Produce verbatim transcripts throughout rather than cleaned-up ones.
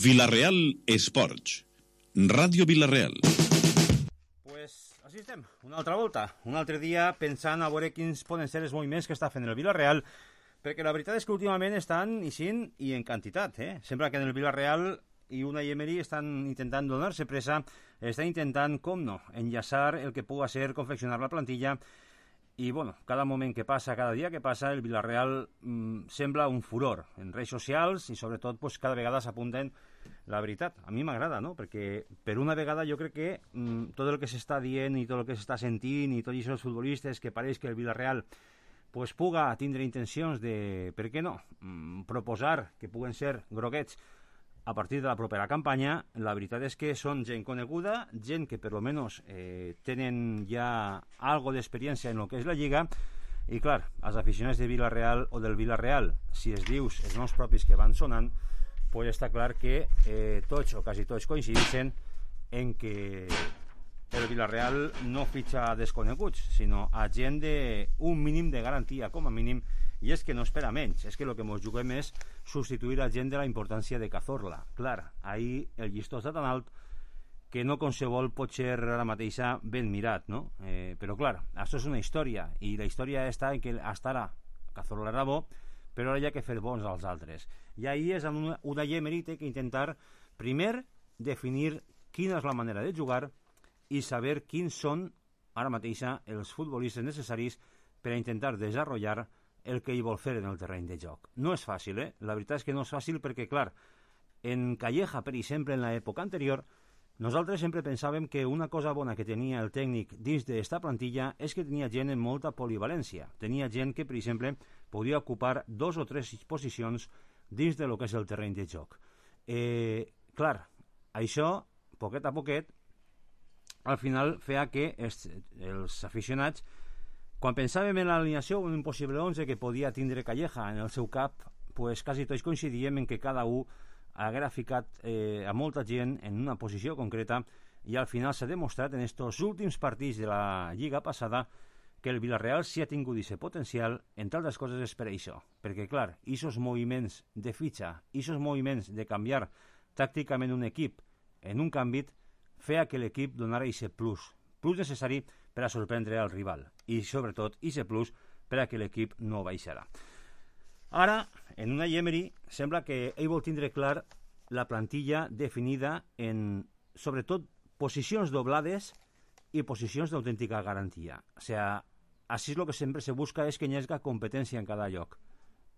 Vila-real Esports. Ràdio Vila-real. Pues així estem, una altra volta, un altre dia pensant a veure quins poden ser els moviments que està fent el Vila-real, perquè la veritat és que últimament estan ixint i en quantitat, eh? Sembla que en el Vila-real i Unai Emery estan intentant donar-se pressa, estan intentant, com no, enllaçar el que puga ser confeccionar la plantilla. I, bueno, cada moment que passa, cada dia que passa, el Vila-real mmm, sembla un furor en redes socials i, sobretot, pues, cada vegada s'apunten la veritat. A mi m'agrada, no? Perquè, per una vegada, jo crec que mmm, tot el que s'està dient i tot el que s'està sentint i tots aquests futbolistes que pareix que el Vila-real pues, puga tindre intencions de, per què no, mmm, proposar que puguen ser groguets a partir de la propera campanya, la veritat és que són gent coneguda, gent que per lo menos eh, tenen ja algo d'experiència en el que és la Lliga, i clar, els aficionats de Vila-real o del Vila-real, si es dius els noms propis que van sonant, pues està clar que eh, tots o quasi tots coincideixen en que el Vila-real no fitxa desconeguts, sinó a gent d'un mínim de garantia, com a mínim, i és que no espera menys, és que el que ens juguem és substituir a gent de la importància de Cazorla. Clar, ahir el llistó està tan alt que no qualsevol pot ser ara mateixa ben mirat, no? Eh, però clar, això és una història, i la història està en que hasta ara Cazorla era bo, però ara hi ha que fer bons als altres. I ahir és una, una Emery té que intentar, primer, definir quina és la manera de jugar i saber quins són ara mateixa els futbolistes necessaris per a intentar desenvolupar el que hi vol fer en el terreny de joc. No és fàcil, eh? La veritat és que no és fàcil perquè, clar, en Calleja, per exemple, en l'època anterior, nosaltres sempre pensàvem que una cosa bona que tenia el tècnic dins d'esta plantilla és que tenia gent amb molta polivalència. Tenia gent que, per exemple, podia ocupar dos o tres posicions dins de lo que és el terreny de joc. Eh, clar, això, poquet a poquet, al final feia que els, els aficionats, quan pensàvem en l'alineació o en un possible onze que podia tindre Calleja en el seu cap, pues quasi tots coincidíem en que cada un haguera ficat eh, a molta gent en una posició concreta, i al final s'ha demostrat en estos últims partits de la Lliga passada que el Vila-real sí ha tingut aquest potencial, entre altres coses és per això, perquè clar, aquests moviments de fitxa, aquests moviments de canviar tàcticament un equip en un canvi, feia que l'equip donara aquest plus, plus necessari per a sorprendre al rival, i sobretot aquest plus per a que l'equip no baixarà. Ara, en Unai Emery, sembla que ell vol tindre clar la plantilla definida en, sobretot, posicions doblades i posicions d'autèntica garantia. O sigui, així és el que sempre se busca és que hi hagi competència en cada lloc.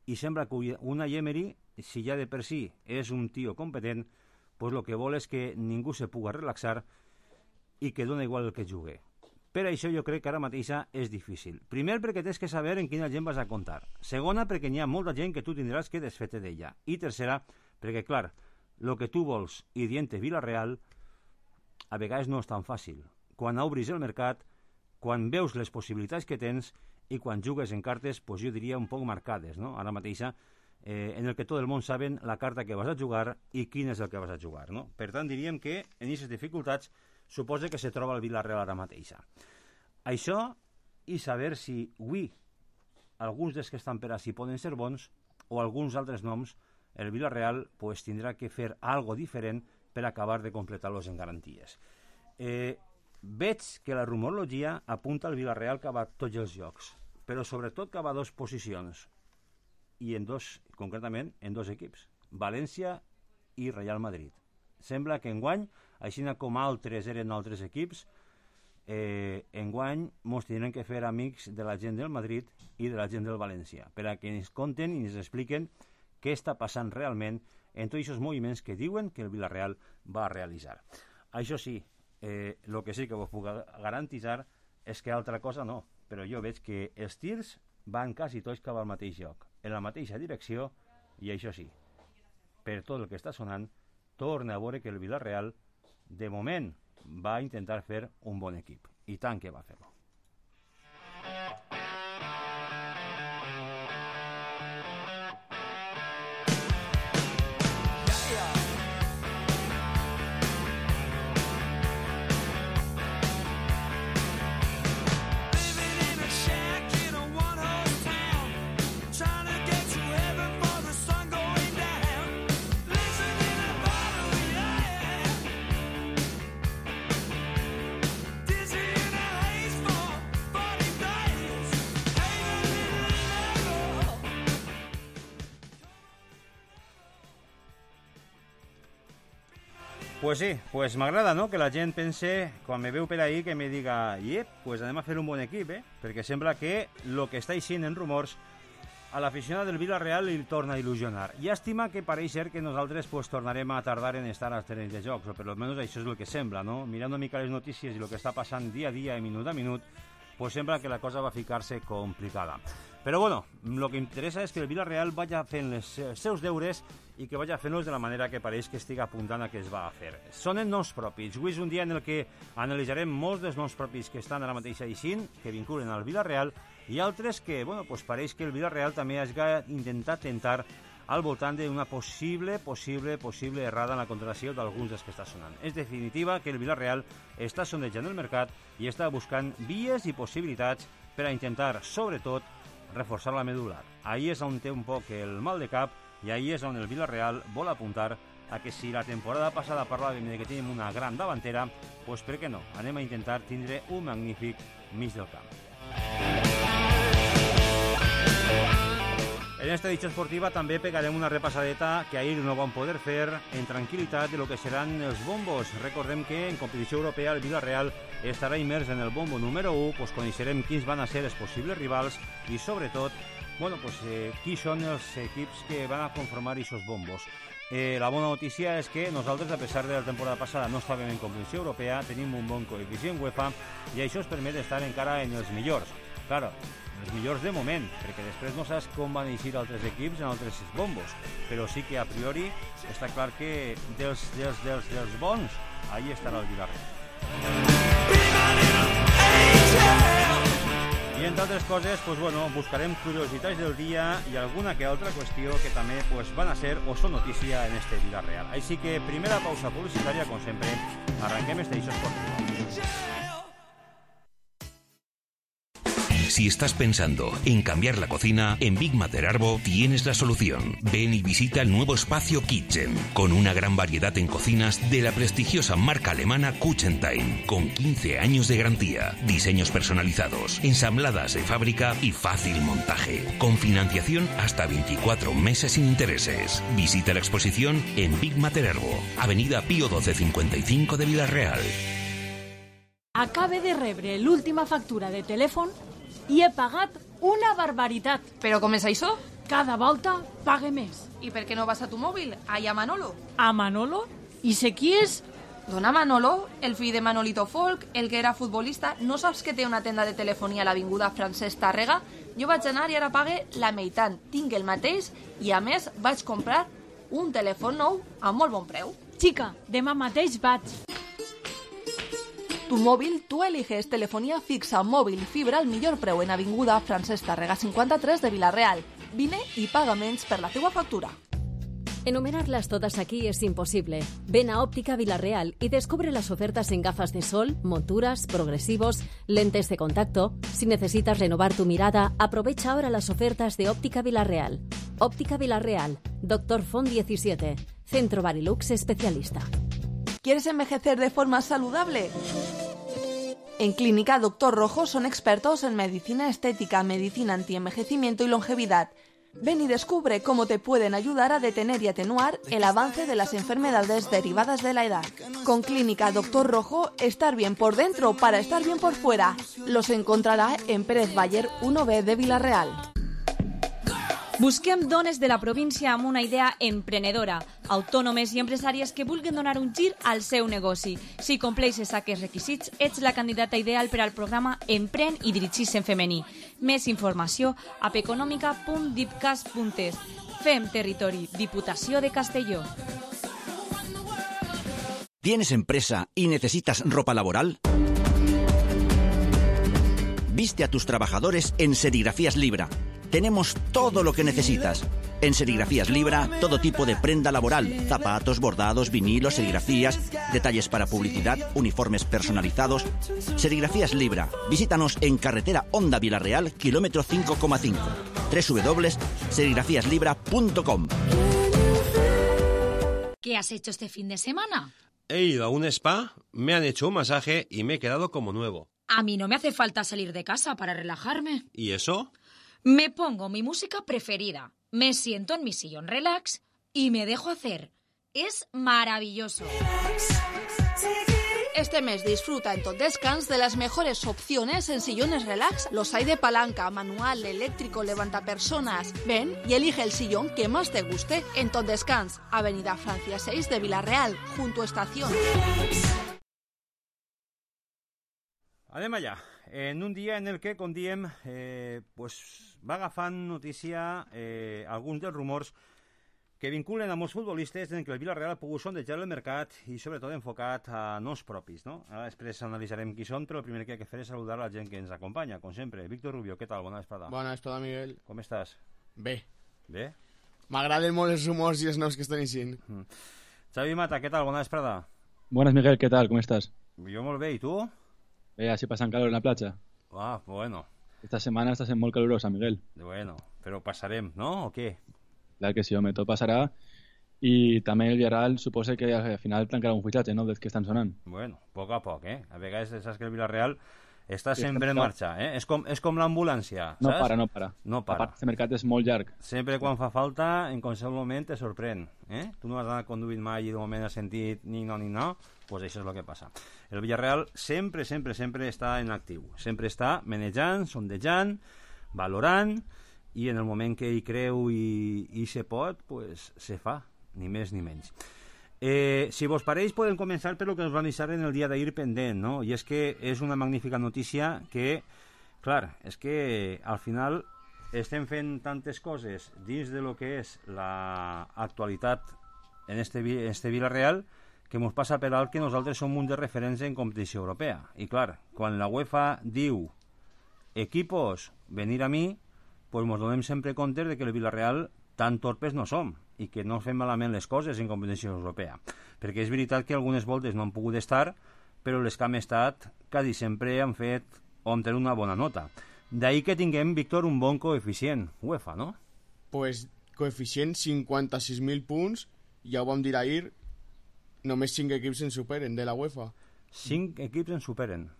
I sembla que Unai Emery, si ja de per si és un tio competent, pues el que vol és que ningú se puga relaxar i que dona igual el que jugui. Per això jo crec que ara mateixa és difícil. Primer, perquè tens que saber en quina gent vas a comptar. Segona, perquè n'hi ha molta gent que tu tindràs que desfer-te d'ella. I tercera, perquè, clar, el que tu vols i dient-te Vila-real a vegades no és tan fàcil. Quan obris el mercat, quan veus les possibilitats que tens i quan jugues en cartes, pues jo diria un poc marcades, no? Ara mateixa, eh, en el que tot el món saben la carta que vas a jugar i quin és el que vas a jugar, no? Per tant, diríem que en aquestes dificultats suposa que se troba el Vila-real ara mateixa. Això, i saber si avui alguns dels que estan per així poden ser bons o alguns altres noms, el Vila-real pues, tindrà que fer algo diferent per acabar de completar-los en garanties. Eh, veig que la rumorologia apunta al Vila-real cap a tots els jocs, però sobretot cap a dues posicions, i en dos, concretament en dos equips, València i Real Madrid. Sembla que enguany, així com altres eren altres equips, eh, enguany ens tindrem que fer amics de la gent del Madrid i de la gent del València, per a que ens conten i ens expliquen què està passant realment en tots aquests moviments que diuen que el Vila-real va realitzar. Això sí, eh, el que sí que vos puc garantitzar és que altra cosa no, però jo veig que els tirs van quasi tots cap al mateix lloc, en la mateixa direcció, i això sí, per tot el que està sonant, torna a veure que el Vila-real, de moment, va intentar fer un bon equip. I tant que va fer-lo. Pues sí, pues m'agrada, no?, que la gent pense, quan me veu per ahí, que me diga, iep, pues anem a fer un bon equip, eh? Perquè sembla que lo que està eixint en rumors a l'aficionat del Villarreal li torna a il·lusionar. Llàstima que pareix ser que nosaltres pues, tornarem a tardar en estar als terrenys de jocs, o per almenys això és el que sembla, no? Mirant una mica les notícies i el que està passant dia a dia i minut a minut, pues sembla que la cosa va ficar-se complicada. Però bueno, el que interessa és que el Villarreal vaya fent els seus deures i que vaya fent-los de la manera que pareix que estigui apuntant a que es va a fer. Són els noms propis. Avui és un dia en el que analitzarem molts dels noms propis que estan ara mateix eixint, que vinculen al Villarreal, i altres que, bueno, pues pareix que el Villarreal també hagi intentat tentar al voltant d'una possible, possible, possible errada en la contratació d'alguns dels que està sonant. És definitiva que el Villarreal està sondejant el mercat i està buscant vies i possibilitats per a intentar, sobretot, reforçar la medular. Ahí és on té un poc el mal de cap i ahí és on el Villarreal vol apuntar a que si la temporada passada parlàvem de que tenim una gran davantera, doncs per què no? Anem a intentar tindre un magnífic mig del camp. En esta edició esportiva també pegarem una repassadeta que ahir no vam poder fer en tranquil·litat de lo que seran els bombos. Recordem que en competició europea el Villarreal estarà immers en el bombo número u, pues coneixerem quins van a ser els possibles rivals i sobretot, bueno, pues, eh, qui són els equips que van a conformar aquests bombos. Eh, la bona notícia és que nosaltres, a pesar de la temporada passada, no estàvem en competició europea, tenim un bon coeficient UEFA i això ens permet estar encara en els millors. Claro, els millors de moment, perquè després no saps com van eixir altres equips en altres bombos, però sí que a priori està clar que dels, dels, dels, dels bons, ahí estarà el Villarreal. I entre altres coses, pues bueno, buscarem curiositats del dia i alguna que altra qüestió que també pues, van a ser o són notícia en este Villarreal. Així que primera pausa publicitària, com sempre, arranquem este eixo esportiu. Si estás pensando en cambiar la cocina, en Big Mater Arbo tienes la solución. Ven y visita el nuevo espacio Kitchen, con una gran variedad en cocinas de la prestigiosa marca alemana Kuchentime, con quince años de garantía, diseños personalizados, ensambladas de fábrica y fácil montaje, con financiación hasta veinticuatro meses sin intereses. Visita la exposición en Big Mater Arbo, Avenida Pío doce cincuenta y cinco de Villarreal. Acabe de rebre l'última factura de telèfon i he pagat una barbaritat. Però com és això? Cada volta pague més. I per què no vas a tu mòbil? Allà a Manolo. A Manolo? I sé qui és? Dona Manolo, el fill de Manolito Folk, el que era futbolista, no saps que té una tenda de telefonia a l'avinguda Francesc Tàrrega? Jo vaig anar i ara pague la meitat. Tinc el mateix i, a més, vaig comprar un telèfon nou a molt bon preu. Xica, demà mateix vaig. Tu móvil, tú eliges telefonía fixa, móvil y fibra al millor preu en avinguda Francesc Tàrrega cinquanta-tres de Villarreal. Vine y paga menys per la teua factura. Enumerarlas todas aquí es imposible. Ven a Óptica Villarreal y descubre las ofertas en gafas de sol, monturas, progresivos, lentes de contacto. Si necesitas renovar tu mirada, aprovecha ahora las ofertas de Óptica Villarreal. Óptica Villarreal, Doctor Font diecisiete, Centro Barilux Especialista. ¿Quieres envejecer de forma saludable? En Clínica Doctor Rojo son expertos en medicina estética, medicina antienvejecimiento y longevidad. Ven y descubre cómo te pueden ayudar a detener y atenuar el avance de las enfermedades derivadas de la edad. Con Clínica Doctor Rojo, estar bien por dentro para estar bien por fuera. Los encontrará en Pérez Bayer uno B de Villarreal. Busquem dones de la província amb una idea emprenedora, autònomes i empresàries que vulguin donar un gir al seu negoci. Si compleixes aquests requisits, ets la candidata ideal per al programa Empren i dirigis en femení. Més informació a peconòmica punt dipcas punt es. Fem territori, Diputació de Castelló. ¿Tienes empresa y necesitas ropa laboral? Viste a tus trabajadores en Serigrafías Libra. Tenemos todo lo que necesitas. En Serigrafías Libra, todo tipo de prenda laboral, zapatos, bordados, vinilos, serigrafías, detalles para publicidad, uniformes personalizados. Serigrafías Libra. Visítanos en carretera Honda Villarreal, kilómetro cinco coma cinco. doble u doble u doble u punto serigrafías libra punto com. ¿Qué has hecho este fin de semana? He ido a un spa, me han hecho un masaje y me he quedado como nuevo. A mí no me hace falta salir de casa para relajarme. ¿Y eso? Me pongo mi música preferida, me siento en mi sillón relax y me dejo hacer. es maravilloso. Este mes disfruta en Tot Descans de las mejores opciones en sillones relax. Los hay de palanca, manual, eléctrico, levantapersonas. Ven y elige el sillón que más te guste en Tot Descans, Avenida Francia seis de Villarreal, junto a Estación. Anem allà. En un dia en el que, com diem, eh, pues, va agafant notícia eh, alguns dels rumors que vinculen a molts futbolistes en què el Villarreal ha pogut sondejar el mercat i sobretot enfocat a nos propis, no? Ara després analitzarem qui són, però el primer que hay que fer és saludar a la gent que ens acompanya, com sempre. Víctor Rubio, què tal? Bona vesprada. Bona vesprada, Miguel. Com estàs? Bé. Bé? M'agraden molt els rumors i els nous que estan eixint. Mm. Xavi Mata, què tal? Bona vesprada. Buenas, Miguel, ¿qué tal? ¿Cómo estás? Jo molt bé, i tu? Bé, así pasan calor en la playa. Ah, bueno. Esta semana estás en muy calurosa, Miguel. Bueno, però passarem, no? O què? Claro que sí, hombre, todo pasará. Y también el Villarreal supose que al final tancará un fichaje, ¿no? Desde que están sonando. Bueno, poc a poc, eh? A vegades saps que el Villarreal està sempre en marxa, eh? És com, és com l'ambulància, saps? No para, no para. No para. A part, este mercat és molt llarg. Sempre quan fa falta, en qualsevol moment te sorprèn, eh? Tu no has d'anar conduint mai i de moment has sentit ni no ni no, pues això és el que passa. El Villarreal sempre, sempre, sempre està en actiu. Sempre està manejant, sondejant, valorant, i en el moment que hi creu i, i se pot, pues se fa, ni més ni menys. Eh, si vos pareix, podem començar per el que ens va avisar en el dia d'ahir pendent, no? I és que és una magnífica notícia que, clar, és que al final estem fent tantes coses dins de lo que és l'actualitat en este, en este Villarreal que ens passa per alt que nosaltres som un de referents en competició europea. I clar, quan la UEFA diu equipos, venir a mi, pues ens donem sempre compte de que el Villarreal tan torpes no som i que no fem malament les coses en competició europea. Perquè és veritat que algunes voltes no han pogut estar, però les que hem estat quasi sempre han fet o han tenit una bona nota. D'ahí que tinguem, Víctor, un bon coeficient UEFA, no? Pues coeficient cinquanta-sis mil punts, ja ho vam dir ahir, només cinc equips en superen de la UEFA. cinc equips en superen.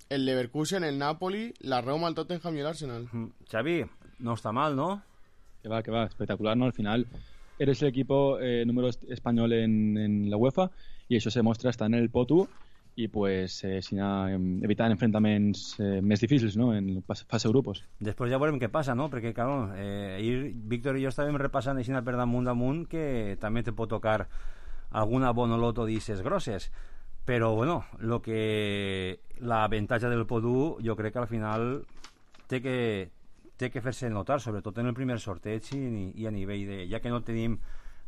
El Leverkusen, el Napoli, la Roma, el Tottenham y el Arsenal. Mm. Xavi, no está mal, ¿no? Que va, que va, espectacular, ¿no? Al final eres el equipo eh, número español en, en la UEFA y eso se muestra hasta en el P O T U y pues eh, sin a, evitar enfrentaments eh, més difícils, ¿no? En fase de grupos. Després ja veurem què passa, no? Perquè, claro, eh, ahir Víctor i jo estàvem repassant així per damunt damunt que també te pot tocar alguna bonoloto d'isses grosses. Però, bueno, lo que l'avantatge del P O D U jo crec que al final té que, té que fer-se notar, sobretot en el primer sorteig i, i a nivell de... Ja que no tenim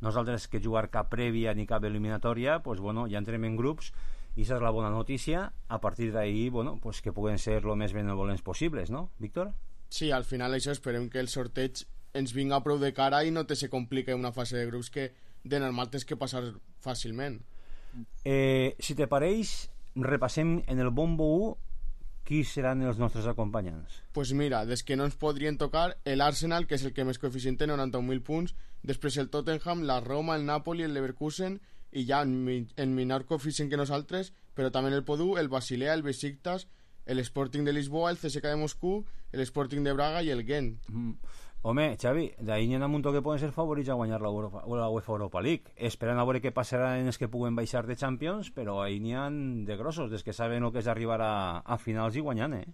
nosaltres que jugar cap prèvia ni cap eliminatòria, pues, bueno, ja entrem en grups i aquesta és la bona notícia. A partir d'ahir, bueno, pues, que puguen ser el més benevolents possibles, no, Víctor? Sí, al final això esperem que el sorteig ens vinga prou de cara i no te se complique una fase de grups que de normal tens que passar fàcilment. Eh, si te pareix, repassem en el bombo u qui seran els nostres acompanyants. Pues mira, des que no ens podrien tocar el Arsenal, que és el que més coeficient té, noranta-un mil punts, després el Tottenham, la Roma, el Napoli, el Leverkusen i ja en, en menor coeficient que nosaltres, però també el P O D U, el Basilea, el Besiktas, el Sporting de Lisboa, el C S K de Moscú, el Sporting de Braga i el Gent. Mm. Home, Xavi, d'ahir n'hi ha un muntó que poden ser favorits a guanyar la, Europa, la UEFA Europa League. Esperant a veure què passarà en els que puguen baixar de Champions, però ahir n'hi ha de grossos, des que saben el que és arribar a, a finals i guanyant, eh?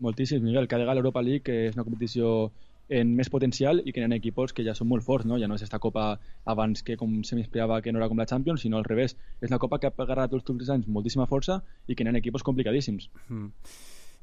Moltíssim, Miguel. Cada vegada l'Europa League, que és una competició en més potencial i que hi ha equipos que ja són molt forts, no? Ja no és esta copa abans que com se m'esperava que no era com la Champions, sinó al revés. És una copa que ha agarrat tots els anys moltíssima força i que hi ha equipos complicadíssims. Mm.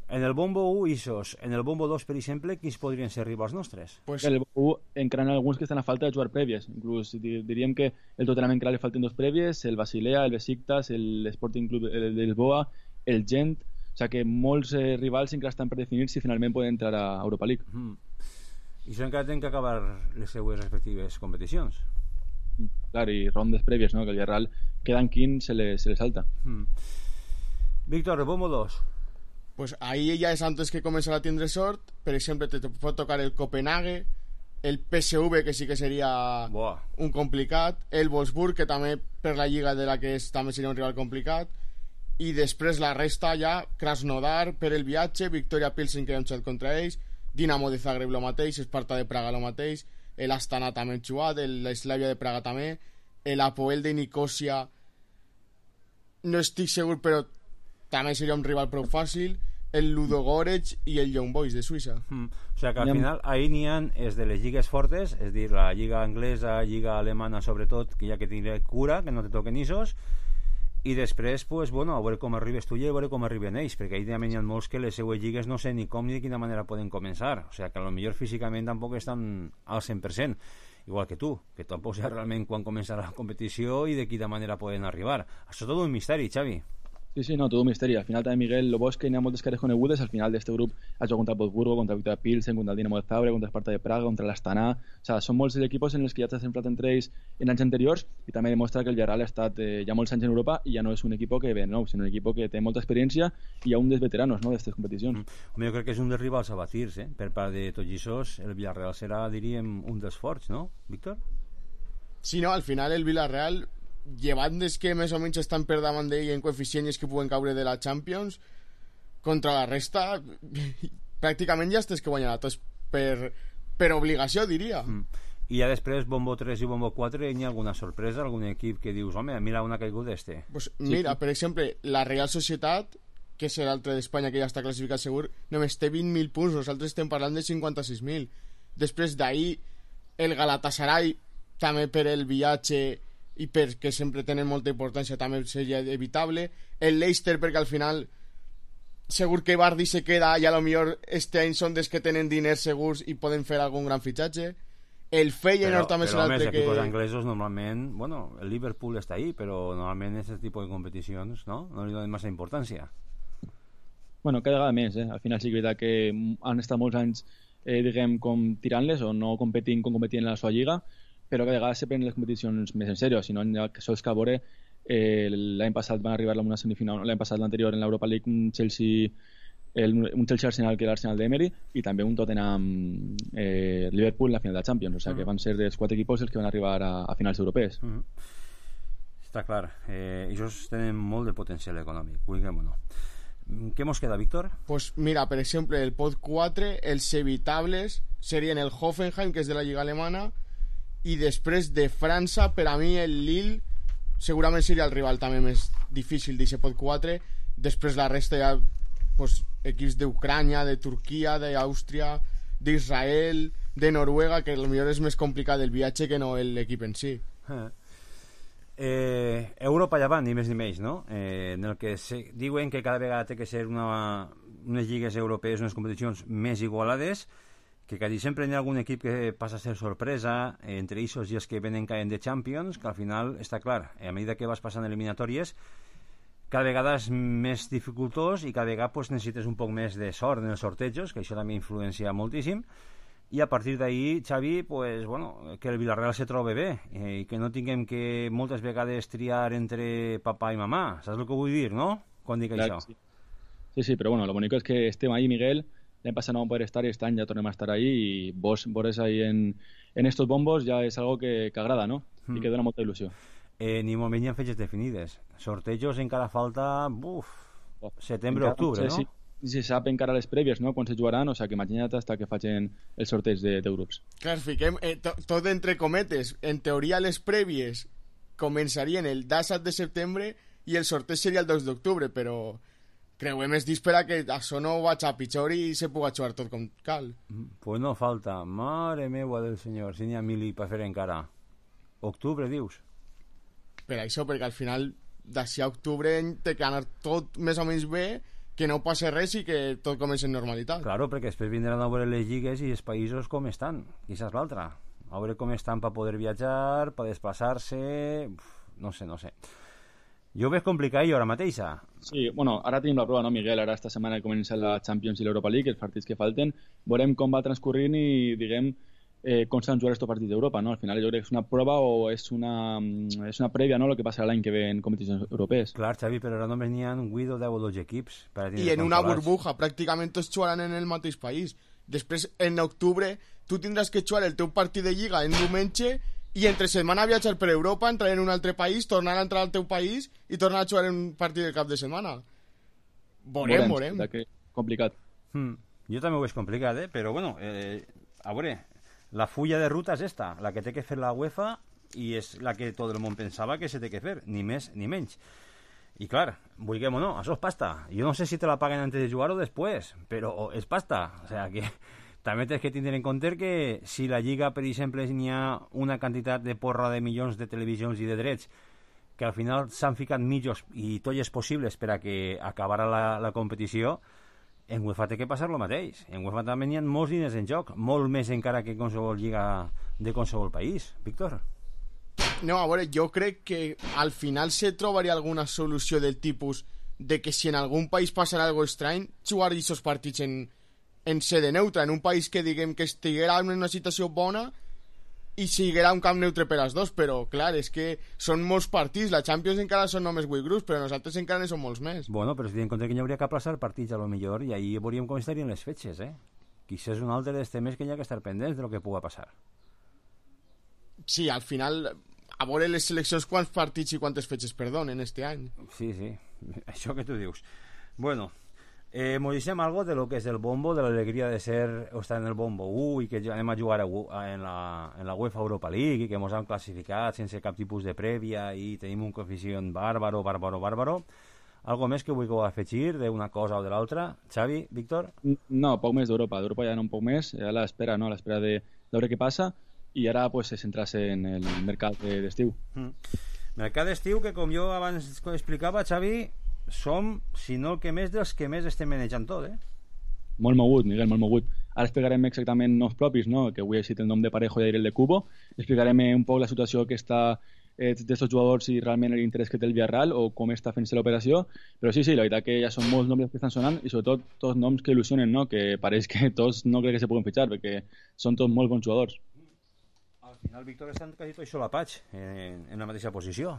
En el bombo u, Isos. En el bombo dos, per exemple, quins podrien ser rivals nostres? Pues... En el bombo u encara alguns que estan a falta de jugar prèvies. Inclús diríem que el Tottenham encara li falten dos prèvies, el Basilea, el Besiktas, el Sporting Club de Lisboa, el Gent. O sigui que molts eh, rivals encara estan per definir si finalment poden entrar a Europa League. Mm. I això encara tenen que acabar les seues respectives competicions. Mm. Clar, i rondes prèvies, no? Que el Villarreal quedant quin se le, se le salta. Mm. Víctor, el bombo dos. Pues ahí ja és antes que començar a tindre sort. Per exemple, te pot tocar el Copenhague, el P S V, que sí que seria Boa. un complicat, el Wolfsburg, que també per la lliga de la que és també seria un rival complicat, i després la resta ja, Krasnodar per el viatge, Victoria Pilsen, que hem xugat contra ells, Dinamo de Zagreb lo mateix, Esparta de Praga lo mateix, el Astana també hem xugat, el Slavia de Praga també, el Apoel de Nicosia no estic segur, però també seria un rival prou fàcil, el Ludogorets i el Young Boys de Suïssa. Mm. O sigui que al final ahí n'hi ha és de les lligues fortes, és dir, la lliga anglesa, lliga alemana sobretot, que ja que tindré cura, que no te toquen isos, i després, pues, bueno, a veure com arribes tu i a veure com arriben ells, perquè ahí també hi ha molts que les seues lligues no sé ni com ni de quina manera poden començar, o sigui que a lo millor físicament tampoc estan al cent per cent, igual que tu, que tampoc saps realment quan començarà la competició i de quina manera poden arribar. Això és tot un misteri, Xavi. Sí, sí, no, todo un misteri. Al final també Miguel lo bo és que hi ha moltes cares conegudes. Al final d'este grup ha jugat contra el Wolfsburgo, contra el Victoria Pilsen, contra el Dinamo de Zagreb, contra el Sparta de Praga, contra l'Astana. O sea, són molts els equipos en els que ja t'has enfrontat entre ells en anys anteriors i també demostra que el Villarreal ha estat eh, ja molts anys en Europa i ja no és un equip que ve de nou, sinó un equip que té molta experiència i hi ha un dels veteranos, no, d'estes competicions. Mm. Home, jo crec que és un dels rivals a batir, eh? Per part de tots aquests, el Villarreal serà, diríem, un dels forts, no, Víctor? Sí, no, al final el Villarreal, llevant des que més o menys estan per davant d'ell en coeficients que puguen caure de la Champions, contra la resta pràcticament ja estàs que guanyarà tots per, per obligació, diria. Mm. I ja després, bombo tres i bombo quatre, hi ha alguna sorpresa, algun equip que dius, home, mira una caiguda d'este? Pues mira, sí. Per exemple, la Real Societat, que és l'altre d'Espanya que ja està classificat segur, només té vint mil punts, nosaltres estem parlant de cinquanta-sis mil. Després d'ahir, el Galatasaray, també per el viatge i perquè sempre tenen molta importància també seria evitable, el Leicester perquè al final segur que Vardy se queda i a lo millor este any són des que tenen diners segurs i poden fer algun gran fitxatge, el Feyenoord però, també però, és l'altre que... Però els anglesos normalment, bueno, el Liverpool està ahí, però normalment aquest tipus de competicions no, no li donen massa importància. Bueno, cada vegada més, eh? Al final sí que és veritat que han estat molts anys eh, diguem, com tirant-les o no competint com competint en la seva lliga, però que a vegades se prenen les competicions més en sèrio, si no que sols que a veure eh, l'any passat van arribar a una semifinal, l'any passat l'anterior en l'Europa League un Chelsea el, un Chelsea Arsenal que era l'Arsenal d'Emery i també un Tottenham eh, Liverpool en la final de la Champions, o sigui uh-huh. que van ser dels quatre equipos els que van arribar a, a finals europees. Uh-huh. Està clar, eh, ells tenen molt de potencial econòmic, vulguem o no. Què mos queda, Víctor? Pues mira, per exemple, el pot quatre, els evitables serien el Hoffenheim, que és de la Lliga Alemana, i després de França, per a mi el Lille segurament seria el rival també més difícil d'aquest pot quatre. Després la resta ja pues, equips d'Ucrània, de Turquia, d'Àustria, d'Israel, de Noruega, que potser és més complicat el viatge que no l'equip en si. eh. Eh, Europa ja van, ni més ni menys, no? Eh, en el que se, diuen que cada vegada té que ser una, unes lligues europees, unes competicions més igualades, que quasi sempre hi ha algun equip que passa a ser sorpresa, eh, entre ells i els que venen caient de Champions, que al final està clar, a mesura que vas passant eliminatòries, cada vegada és més dificultós i cada vegada pues, necessites un poc més de sort en els sortejos, que això també influencia moltíssim, i a partir d'ahí, Xavi, pues, bueno, que el Villarreal se trobe bé eh, i que no tinguem que moltes vegades triar entre papà i mamà, saps el que vull dir, no? Quan dic clar, això. Sí. sí, sí, però bueno, lo bonico es que estem ahí, Miguel, l'any passat no vam poder estar i este any ja tornem a estar ahí i vos veure ahí en, en estos bombos ja és algo que, que agrada, no? Mm. I que dona molta il·lusió. Eh, ni molt menys hi ha fetges definides. Sortejos encara falta, buf, oh. setembre, octubre, sí, no? Sí. Si se sap encara les prèvies, no?, quan se jugaran, o sigui que imagina't hasta que facin el sorteig de, de grups. Clar, fiquem eh, to, tot entre cometes. En teoria les prèvies començarien el disset de setembre i el sorteig seria el dos d'octubre, però creuem els dits per a que això no vaig a pitjor i se pugui jugar tot com cal. Pues no falta, mare meua del senyor, si n'hi ha mil per fer encara. Octubre, dius? Per això, perquè al final d'ací a octubre té que anar tot més o menys bé, que no passi res i que tot comenci en normalitat. Claro, perquè després vindran a veure les lligues i els països com estan, i això és l'altra. A veure com estan per poder viatjar, per desplaçar-se... No sé, no sé. Jo ho veig complicat jo ara mateixa. Sí, bueno, ara tenim la prova, no, Miguel? Ara esta setmana comença la Champions i l'Europa League, els partits que falten. Veurem com va transcorrint i, diguem, eh, com s'han jugat aquests partits d'Europa, no? Al final jo crec que és una prova o és una, és una prèvia, no?, el que passarà l'any que ve en competicions europees. Clar, Xavi, però ara només n'hi ha vuit o deu o dotze equips. I en una burbuja, pràcticament tots jugaran en el mateix país. Després, en octubre, tu tindràs que jugar el teu partit de lliga en diumenge i entre setmana viatjar per Europa, entrar en un altre país, tornar a entrar al teu país i tornar a jugar en un partit de cap de setmana. Veurem, veurem. Que complicat. Hmm. Jo també ho veig complicat, eh? Però bueno, eh, a veure, la fulla de ruta és esta, la que té que fer la UEFA i és la que tot el món pensava que se té que fer, ni més ni menys. I clar, vulguem o no, això és pasta. Jo no sé si te la paguen antes de jugar o després, però és pasta. O sea que també tens que tindre en compte que si la Lliga, per exemple, n'hi ha una quantitat de porra de milions de televisions i de drets que al final s'han ficat mitjos i tolles possibles per a que acabarà la, la competició, en UEFA té que passar el mateix. En UEFA també n'hi ha molts diners en joc, molt més encara que qualsevol lliga de qualsevol país. Víctor? No, a veure, jo crec que al final se trobaria alguna solució del tipus de que si en algun país passarà algo estrany, jugar aquests partits en, en sede neutra, en un país que diguem que estiguera en una situació bona i siguera un camp neutre per als dos, però clar, és que són molts partits, la Champions encara són només vuit grups, però nosaltres encara en som molts més. Bueno, però si tenen en compte que hi hauria que aplaçar partits a lo millor i ahí veuríem com estarien les fetges, eh? Quizás és un altre dels temes que hi ha que estar pendents de lo que puga passar. Sí, al final, a veure les seleccions quants partits i quantes fetges perdonen este any. Sí, sí, això que tu dius. Bueno, eh, mos deixem algo de lo que és el bombo, de l'alegria de ser o estar en el bombo u i que anem a jugar a, a, en, la, en la UEFA Europa League i que mos han classificat sense cap tipus de prèvia i tenim un coeficient bàrbaro, bàrbaro, bàrbaro. Algo més que vull afegir d'una cosa o de l'altra? Xavi, Víctor? No, poc més d'Europa. D'Europa ja no un poc més, a l'espera, no? A l'espera de veure què passa. I ara pues, se centrarse en el mercat d'estiu. Mm. Mercat d'estiu que, com jo abans explicava, Xavi, som, si no el que més, dels que més estem manejant tot, eh? Molt mogut, Miguel, molt mogut. Ara explicarem exactament noms propis, no? Que avui he citat el nom de Parejo i el de Cubo. Explicarem un poc la situació que està eh, d'estos jugadors i realment l'interès que té el Villarreal o com està fent-se l'operació. Però sí, sí, la veritat que ja són molts noms que estan sonant i sobretot tots noms que il·lusionen, no? Que pareix que tots no crec que se puguen fitxar perquè són tots molt bons jugadors. Al final, Víctor, estan quasi tots solapats en, en la mateixa posició.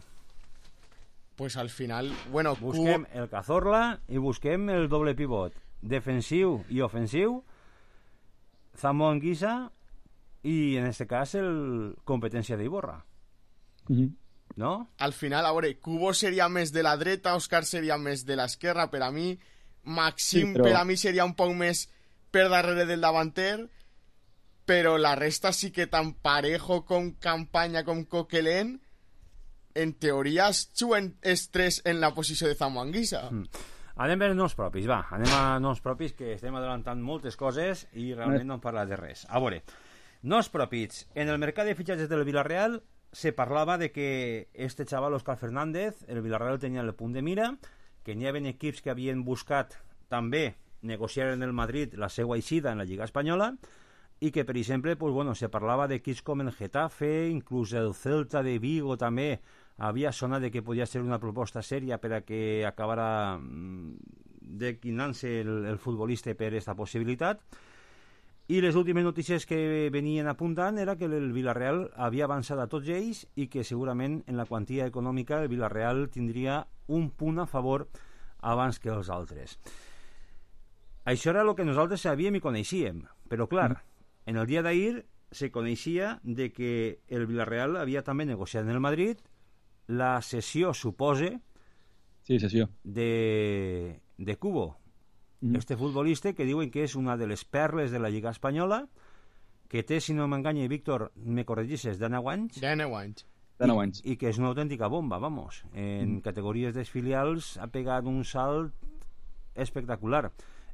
Pues al final, bueno... Busquem Cubo... el Cazorla i busquem el doble pivot. Defensiu i ofensiu, Zambo Anguissa i, en este cas, el competència d'Iborra. Mm-hmm. No? Al final, a veure, Cubo seria més de la dreta, Òscar seria més de l'esquerra, per a mi, Maxim sí, però... per a mi seria un poc més per darrere del davanter, però la resta sí que tant Parejo com Campanya com Coquelin en teoria es juguen els tres en la posició de Zambo Anguissa. Mm. Anem a veure noms propis, va, anem a noms propis que estem adelantant moltes coses i realment no hem parlat de res. A veure, noms propis. En el mercat de fitxatges del Villarreal se parlava de que este xaval, Òscar Fernández, el Villarreal tenia el punt de mira, que n'hi havia equips que havien buscat també negociar en el Madrid la seva eixida en la Lliga Espanyola i que, per exemple, pues, bueno, se parlava d'equips com el Getafe, inclús el Celta de Vigo també havia sonat de que podia ser una proposta sèria per a que acabara declinant-se el, el futbolista per aquesta possibilitat. I les últimes notícies que venien apuntant era que el Villarreal havia avançat a tots ells i que segurament en la quantia econòmica el Villarreal tindria un punt a favor abans que els altres. Això era el que nosaltres sabíem i coneixíem, però clar, mm. en el dia d'ahir se coneixia de que el Villarreal havia també negociat en el Madrid la cessió, supose, sí, cessió. de, de Cubo. Mm. Este futbolista que diuen que és una de les perles de la Lliga Espanyola, que té, si no m'enganya, Víctor, me corregixes, deu anys? deu anys. I, i que és una autèntica bomba, vamos. En mm. categories dels filials ha pegat un salt espectacular.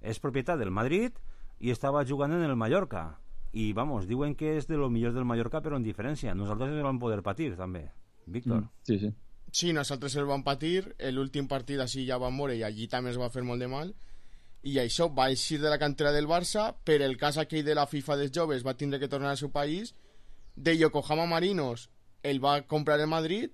És propietat del Madrid i estava jugant en el Mallorca. I, vamos, diuen que és de lo millor del Mallorca, però en diferència. Nosaltres el vam poder patir, també. Víctor. Mm, sí, sí. Sí, nosaltres el vam patir, l'últim partit així ja vam moure i allí també es va fer molt de mal, i això va eixir de la cantera del Barça, per el cas aquell de la FIFA dels joves va tindre que tornar al seu país, de Yokohama Marinos el va comprar el Madrid,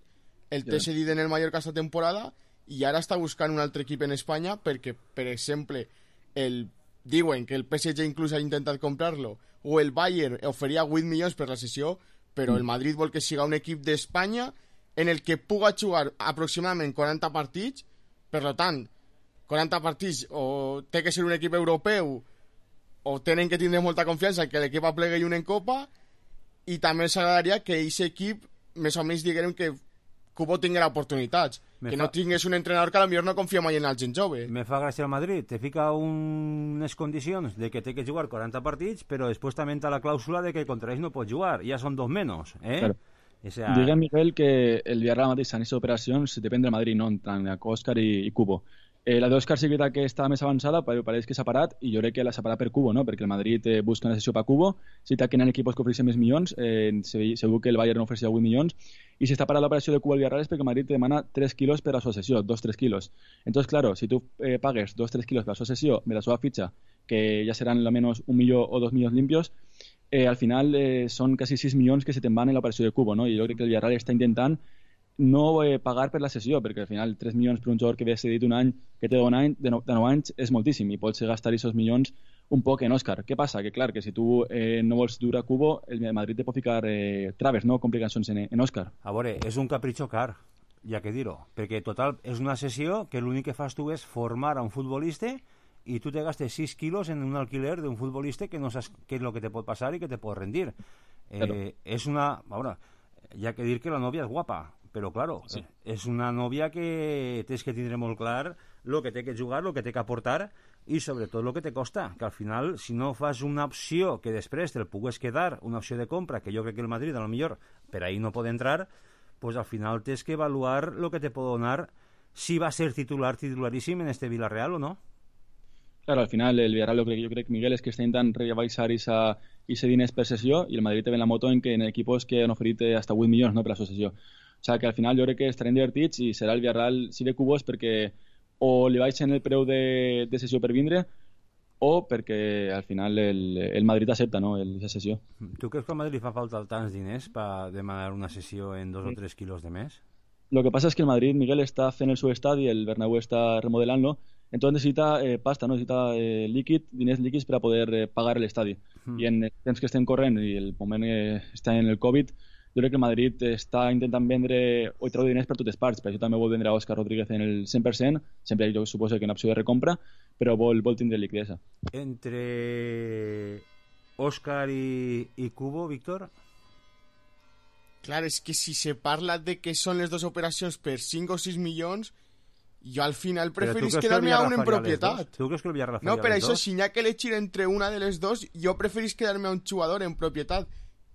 el té cedit en el Mallorca esta temporada i ara està buscant un altre equip en Espanya perquè, per exemple, el diuen que el P S G inclús ha intentat comprar-lo, o el Bayern oferia vuit milions per la cessió, però el Madrid vol que siga un equip d'Espanya en el que puga jugar aproximadament quaranta partits, per tant, quaranta partits o té que ser un equip europeu o tenen que tindre molta confiança que l'equip aplegui un en Copa, i també s'agradaria que aquest equip més o menys diguem que Cubo tinguera oportunitats, me que fa... no tingués un entrenador que potser no confia mai en el gent jove. Me fa gràcia el Madrid, te fica unes condicions de que té que jugar quaranta partits, però després també està la clàusula de que contra ells no pot jugar, ja són dos menys, eh? Claro. O sea... Diguem, Miguel, que el Villarreal mateix en aquestes operacions depèn del Madrid, no tant Òscar i, i Cubo. Eh, la d'Òscar sí que, que està més avançada, però pareix que s'ha parat, i jo crec que l'ha separat per Cubo, no? Perquè el Madrid eh, busca una sessió per Cubo, si taquen equipos que ofereixen més milions, eh, segur que el Bayern ofereixia vuit milions, i si està parada l'operació de Cubo al Villarreal és perquè el Madrid te demana tres quilos per a la seva sessió, dos tres quilos. Entonces, claro, si tu eh, pagues dos tres quilos per a la seva sessió, de la seva fitxa, que ja seran almenys un milió o dos milions limpios, eh, al final eh, són quasi sis milions que se te'n van en l'operació de Cubo, no? I jo crec que el Villarreal està intentant no eh, pagar per la sessió, perquè al final tres milions per un jugador que ve cedit un any, que té un any, de nou anys, és moltíssim, i pots gastar aquests milions un poc en Òscar. Què passa? Que clar, que si tu eh, no vols dur a Cubo, el Madrid te pot ficar eh, traves, no? Complicacions en, en Òscar. A veure, és un capritxo car, ja que dir-ho, perquè total és una sessió que l'únic que fas tu és formar a un futbolista i tu te gastes sis quilos en un alquiler d'un futbolista que no saps què és el que te pot passar i que te pot rendir. Eh, claro. És una... A veure, ja que dir que la nòvia és guapa, però, claro, sí. És una nòvia que tens que tindre molt clar el que té que jugar, el que té que aportar i sobretot el que te costa, que al final si no fas una opció que després te'l pugues quedar, una opció de compra, que jo crec que el Madrid a lo millor per ahí no pot entrar, pues al final tens que evaluar el que te pot donar si va a ser titular, titularíssim en este Villarreal o no. Claro, al final el Villarreal lo que yo creo que Miguel es que está intentando rebaixar esa, ese diners per sessió i el Madrid te ve la moto en que en equipos que han oferit hasta vuit milions, no, per la seva sessió. O sigui que al final jo crec que estarem divertits i serà el Villarreal si de cubos perquè o li baixen el preu de, de sessió per vindre o perquè al final el, el Madrid accepta, no, la sessió. Tu creus que al Madrid li fa falta tants diners per demanar una sessió en dos o tres quilos de més? Lo que pasa es que el Madrid, Miguel, está haciendo el su estadio y el Bernabéu está remodelando, entonces necesita eh, pasta, no necesita eh, líquid, diners líquids para poder eh, pagar el estadio. Mm. I en el temps que estem corrent i el moment que està en el Covid, jo crec que el Madrid està intentant vendre o treure diners per totes parts, per això també vol vendre a Òscar Rodríguez en el cent per cent, sempre jo suposo que una opció de recompra, però vol, vol tindre liquidesa. Entre Òscar i, i Cubo, Víctor? Clar, és que si se parla de que són les dues operacions per cinc o sis milions, jo al final preferís quedar-me a un en propietat. Tu creus que el Villarreal No, per això, si n'hi ha que elegir entre una de les dos, jo preferís quedar-me a un jugador en propietat,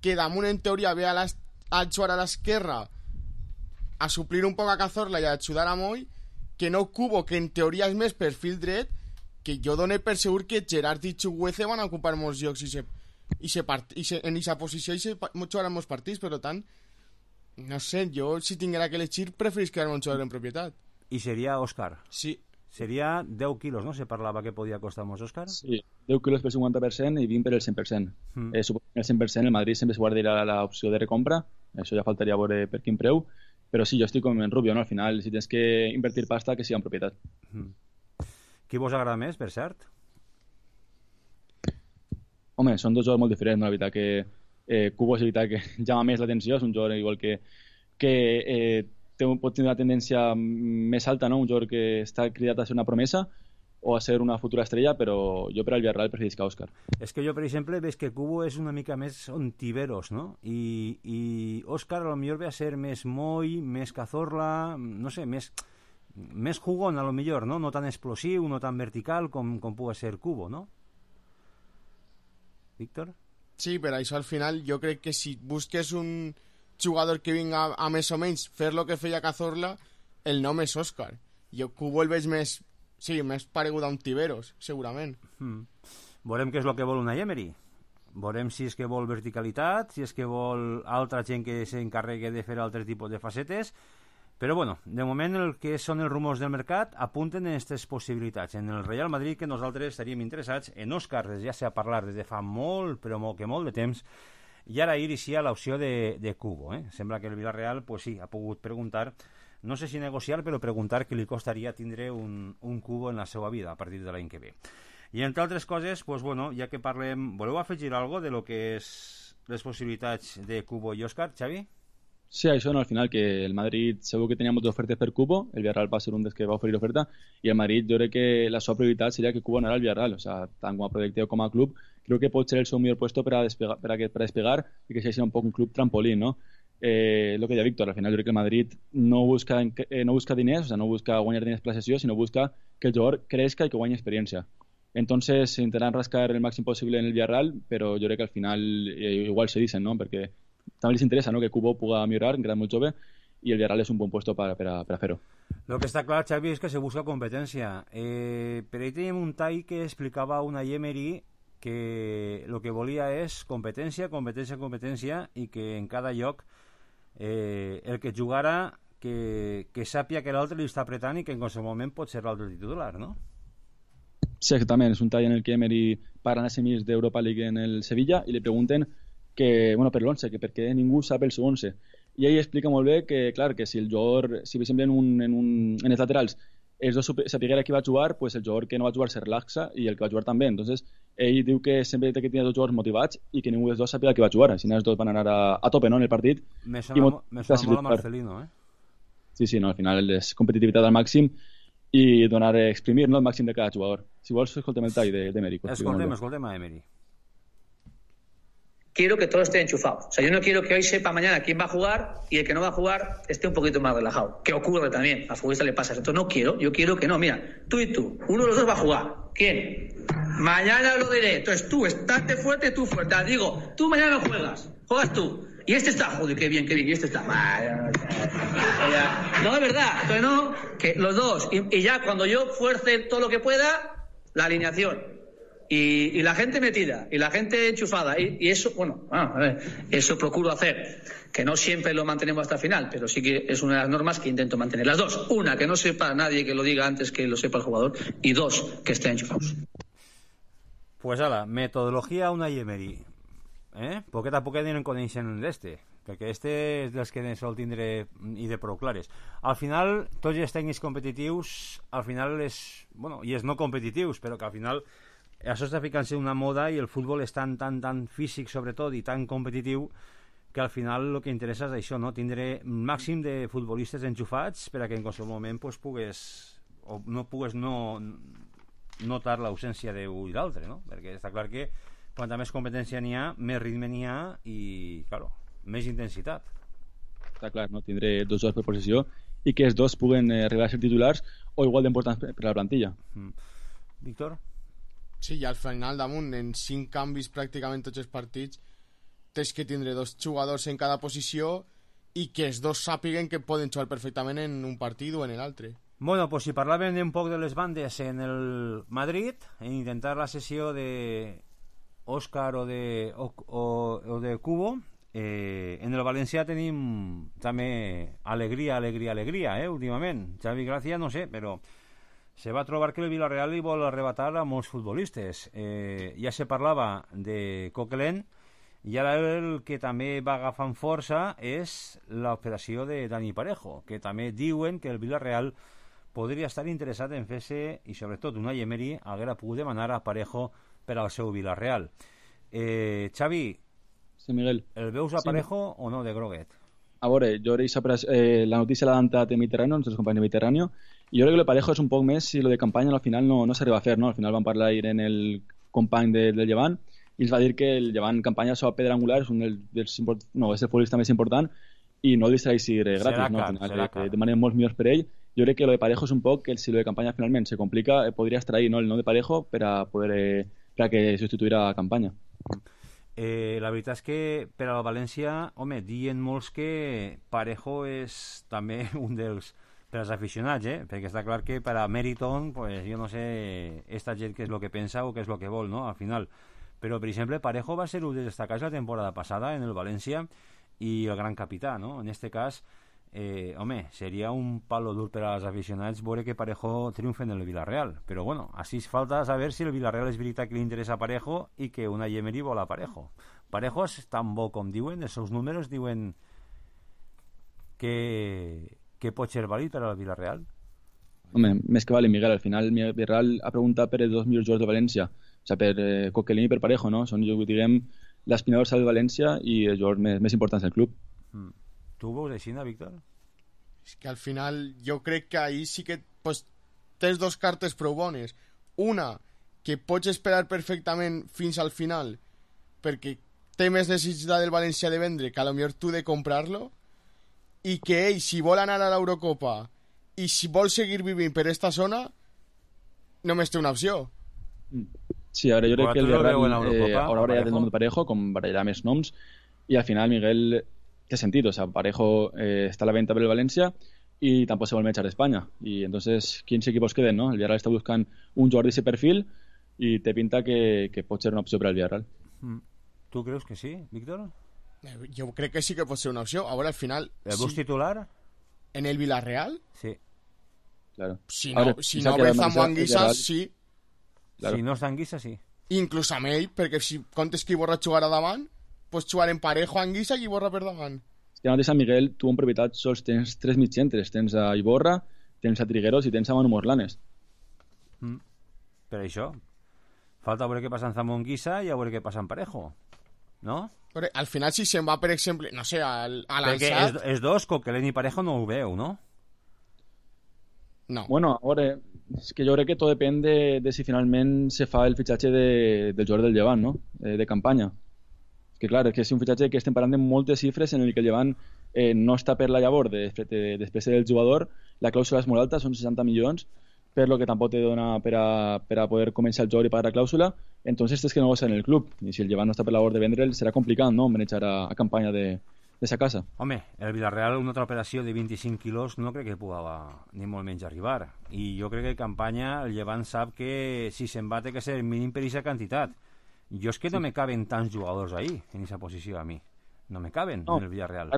que damunt en teoria ve a, a jugar a l'esquerra a suplir un poc a Cazorla i a ajudar a Moy, que no Cubo, que en teoria és més perfil dret, que jo dono per segur que Gerard i Chuguece van a ocupar molts llocs i se, i se part, i se, en aquesta posició i se jugaran molts partits, per tant no sé, jo si tinguera que elegir preferís quedar-me un jugador en propietat. I seria Òscar? Sí. Seria deu quilos, no? Se parlava que podia costar molts Òscar? Sí, deu quilos per cinquanta per cent i vint per el cent per cent. Mm. Eh, suposo que el cent per cent el Madrid sempre es guardarà l'opció de recompra, això ja faltaria veure per quin preu, però sí, jo estic com en Rubio, no? Al final, si tens que invertir pasta, que sigui en propietat. Mm. Qui vos agrada més, per cert? Home, són dos jugadors molt diferents, no? La veritat que eh, Cubo és la veritat que llama més l'atenció, és un jugador igual que, que eh, té, pot tenir una tendència més alta, no? Un jugador que està cridat a ser una promesa o a ser una futura estrella, però jo per al Villarreal preferisc a Òscar. És que jo, per exemple, veig que Cubo és una mica més ontiveros, no? I, i Òscar a lo millor ve a ser més Moy, més Cazorla, no sé, més, més jugón a lo millor, no? No tan explosiu, no tan vertical com, com pugui ser Cubo, no? Víctor? Sí, però això al final jo crec que si busques un jugador que vinga a, a més o menys fer lo que feia Cazorla, el nom és Òscar. Jo Cubo el veig més, sí, més paregut a un Tiberos, segurament. Mm. Veurem què és el que vol una Emery. Veurem si és que vol verticalitat, si és que vol altra gent que s'encarregui de fer altres tipus de facetes. Però bueno, de moment el que són els rumors del mercat apunten en aquestes possibilitats. En el Real Madrid, que nosaltres estaríem interessats en Òscar, ja s'ha parlat des de fa molt, però molt que molt de temps, i ara inicia l'opció de, de Cubo. Eh? Sembla que el Villarreal, pues sí, ha pogut preguntar, no sé si negociar, però preguntar què li costaria tindre un, un Cubo en la seva vida a partir de l'any que ve. I entre altres coses, pues bueno, ja que parlem, voleu afegir alguna cosa de lo que és les possibilitats de Cubo i Òscar, Xavi? Sí, això no, al final que el Madrid segur que tenia moltes ofertes per Cubo, el Villarreal va ser un dels que va oferir oferta, i el Madrid jo crec que la seva prioritat seria que Cubo anara al Villarreal, o sea, tant com a projecte com a club, creo que pot ser el seu millor puesto per a despegar, per a, per a despegar i que sigui un poc un club trampolín, ¿no? Eh, lo que deia Víctor, al final jo crec que el Madrid no busca, eh, no busca diners, o sea, no busca guanyar diners per la sessió, sinó busca que el jugador crezca i que guanyi experiència. Entonces intentaran rascar el màxim possible en el Villarreal, però jo crec que al final eh, igual se dicen, ¿no? Perquè també els interessa, no?, que Kubo puga millorar, que era molt jove, i el Villarreal és un bon puesto per, per, a, per a fer-ho. Lo que està clar, Xavi, és que se busca competència. Eh, per ahí tenim un tall que explicava una Emery que el que volia és competència, competència, competència, i que en cada lloc eh, el que jugara que, que sàpia que l'altre li està apretant i que en qualsevol moment pot ser l'altre titular, no? Sí, exactament. És un tall en el que Emery parla en semis d'Europa League en el Sevilla i li pregunten que, bueno, per l'once, que per què ningú sap el seu once. I ell explica molt bé que, clar, que si el jugador, si per exemple en, un, en, un, en els laterals els dos sapiguera qui va jugar, pues el jugador que no va jugar se relaxa i el que va jugar també. Entonces, ell diu que sempre té que tenir dos jugadors motivats i que ningú dels dos sàpiga qui va jugar. Així els dos van anar a, a tope, no?, en el partit. Me sona, mo me sona molt a Marcelino, eh? Sí, sí, no, al final és competitivitat al màxim i donar, exprimir, no, el màxim de cada jugador. Si vols, escoltem el tall de, de Emery. Escoltem, escoltem a Emery. Quiero que todo esté enchufado. O sea, yo no quiero que hoy sepa mañana quién va a jugar y el que no va a jugar esté un poquito más relajado. Que ocurre también. A futbolista le pasa. Entonces no quiero. Yo quiero que no. Mira, tú y tú. Uno de los dos va a jugar. ¿Quién? Mañana lo diré. Entonces tú, estate fuerte, tú fuerte. Digo, tú mañana no juegas. Juegas tú. Y este está, joder, qué bien, qué bien. Y este está. No, es verdad. Entonces no, que los dos. Y, y ya cuando yo fuerce todo lo que pueda, la alineación. Y, y la gente metida, y la gente enchufada, y, y eso, bueno, ah, a ver, eso procuro hacer, que no siempre lo mantenemos hasta el final, pero sí que es una de las normas que intento mantener. Las dos, una, que no sepa nadie que lo diga antes que lo sepa el jugador, y dos, que estén enchufados. Pues ala, metodologia una Emery, eh? Poquet a poquet anirem coneixent d'este, perquè este és dels que sol tindre i de prou clares. Al final, tots els tècnics competitius, al final és, bueno, i els no competitius, però que al final això està ficant-se una moda i el futbol és tan, tan, tan físic sobretot i tan competitiu que al final el que interessa és això, no? Tindre màxim de futbolistes enxufats per a que en qualsevol moment pues, pugues o no pugues no notar l'ausència d'un i l'altre, no? Perquè està clar que quanta més competència n'hi ha, més ritme n'hi ha i, claro, més intensitat. Està clar, no? Tindré dos jocs per posició i que els dos puguen eh, arribar a ser titulars o igual d'importants per a la plantilla. Mm. Víctor? Sí, i al final damunt, en cinc canvis pràcticament tots els partits, tens que tindre dos jugadors en cada posició i que els dos sàpiguen que poden jugar perfectament en un partit o en l'altre. Bueno, pues si parlàvem un poc de les bandes en el Madrid, en intentar la sessió de Òscar o de, o, o, o de Kubo, eh, en el Valencià tenim també alegria, alegria, alegria, eh, últimament. Xavi Gràcia, no sé, però se va trobar que el Villarreal li vol arrebatar a molts futbolistes. Eh, ja se parlava de Coquelin i ara el que també va agafant força és l'operació de Dani Parejo, que també diuen que el Villarreal podria estar interessat en fer-se, i sobretot una Emery haguera pogut demanar a Parejo per al seu Villarreal. Eh, Xavi, sí, Miguel. El veus a Parejo sí, o no de groguet? A veure, jo eh, la notícia l'ha dantat de Mediterráneo, els companys de Mediterráneo, i jo crec que el Parejo és un poc més si lo de campanya al final no, no s'arriba a fer, no? Al final van parlar ahir en el company de, del Llevant i ens va dir que el Llevant campanya sobre pedra angular és un dels, dels no, és el futbolista més important i no li serà així gratis, serà no? Al final, serà eh, demanem molts millors per ell. Jo crec que lo de Parejo és un poc que si lo de campanya finalment se complica, eh, podria extrair, no, el nom de Parejo per a poder eh, per a que substituirà a campanya. Eh, la veritat és que per a la València, home, diuen molts que Parejo és també un dels per als aficionats, eh? Perquè està clar que per a Meriton, pues, jo no sé esta gent què és el que pensa o què és el que vol, no? Al final. Però, per exemple, Parejo va ser un dels destacats la temporada passada en el València i el gran capità, no? En este cas, eh, home, seria un palo dur per als aficionats veure que Parejo triomfa en el Villarreal. Però, bueno, així falta saber si el Villarreal és veritat que li interessa a Parejo i que una Emery vol a Parejo. Parejo és tan bo com diuen, els seus números diuen que que pot ser vàlid per al Villarreal? Home, més que vale, Miguel, al final el Villarreal ha preguntat per els dos millors jugadors de València, o sigui, per eh, Coquelin i per Parejo, no? Són, jo diguem, l'aspirador del València i els jugadors més, més importants del club. Mm. Tu ho veus així, Víctor? És que al final jo crec que ahir sí que pues, tens dos cartes prou bones. Una, que pots esperar perfectament fins al final perquè té més necessitat del València de vendre que a lo millor tu de comprar-lo, i que ell, si vol anar a l'Eurocopa i si vol seguir vivint per esta zona, només té una opció. Sí, ara jo crec que el Villarreal eh, haurà barallat el nom de Parejo, com barallarà més noms, y al final Miguel té sentit, o sea, Parejo eh, está a la venta per el València y tampoco se vuelve a echar de España, y entonces ¿quiéns equipos queden, no? El Villarreal está buscant un jugador d'ese perfil y te pinta que, que pot ser una opció per al Villarreal. Mm. ¿Tú crees que sí, Víctor? Yo creo que sí que puede ser una opción. Ahora al final... ¿El bus sí. titular? ¿En el Villarreal? Sí. Claro. Si no, Ahora, si no ve Zambuanguisa, sí. Claro. Si no està Anguissa, sí. Inclús amb ell, perquè si comptes que Iborra jugarà davant, pots jugar en Parejo, Anguissa i Iborra per davant. És que mateix a Miguel, tu en propietat sols tens tres mitjentres. Tens a Iborra, tens a Trigueros i tens a Manu Morlanes. Mm. Per això. Falta veure què passa en Zambuanguissa i a veure què passa en Parejo. No? Però al final, si se'n va, per exemple, no sé, al, a l'Ansat... Perquè els, els dos, Coquelin i Parejo, no ho veu, no? No. Bueno, a veure, és que jo crec que tot depèn de, de si finalment se fa el fitxatge de, del jugador del Llevant, no? Eh, de campanya. És que clar, és que és un fitxatge que estem parlant de moltes xifres en el que el Llevant eh, no està per la llavor de, de, de després del jugador, la clàusula és molt alta, són seixanta milions, per lo que tampoc te dona per a, per a poder començar el jugador i pagar la clàusula, entonces tens que negociar en el club, i si el Llevant no està per la labor de vendre'l, serà complicat, no?, manejar a, a campanya de, de sa casa. Home, el Villarreal, una altra operació de vint-i-cinc quilos, no crec que pugui ni molt menys arribar, i jo crec que en campanya el Llevant sap que si se'n va té que ser mínim per aquesta quantitat. Jo és que no me caben tants jugadors ahí, en aquesta posició, a mi. No me caben no, en el Villarreal.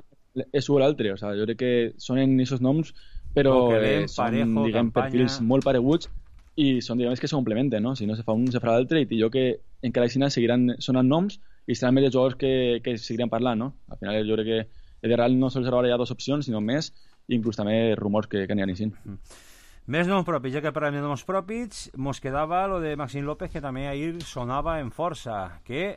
És un o l'altre, o sea, jo crec que són en aquests noms, però Coquelin, eh, són, Parejo, diguem, campanya... perfils molt pareguts i són, diguem, que se complementen, no? Si no se fa un, se farà l'altre, i jo que encara així seguiran sonant noms i seran més jugadors que, que seguiran parlant, no? Al final jo crec que el Villarreal no sols ara hi ha dues opcions, sinó més, i inclús també rumors que, que n'hi ha així. Mm. Més noms propis, ja que parlem de noms propis, mos quedava lo de Maxim López, que també ahir sonava en força, que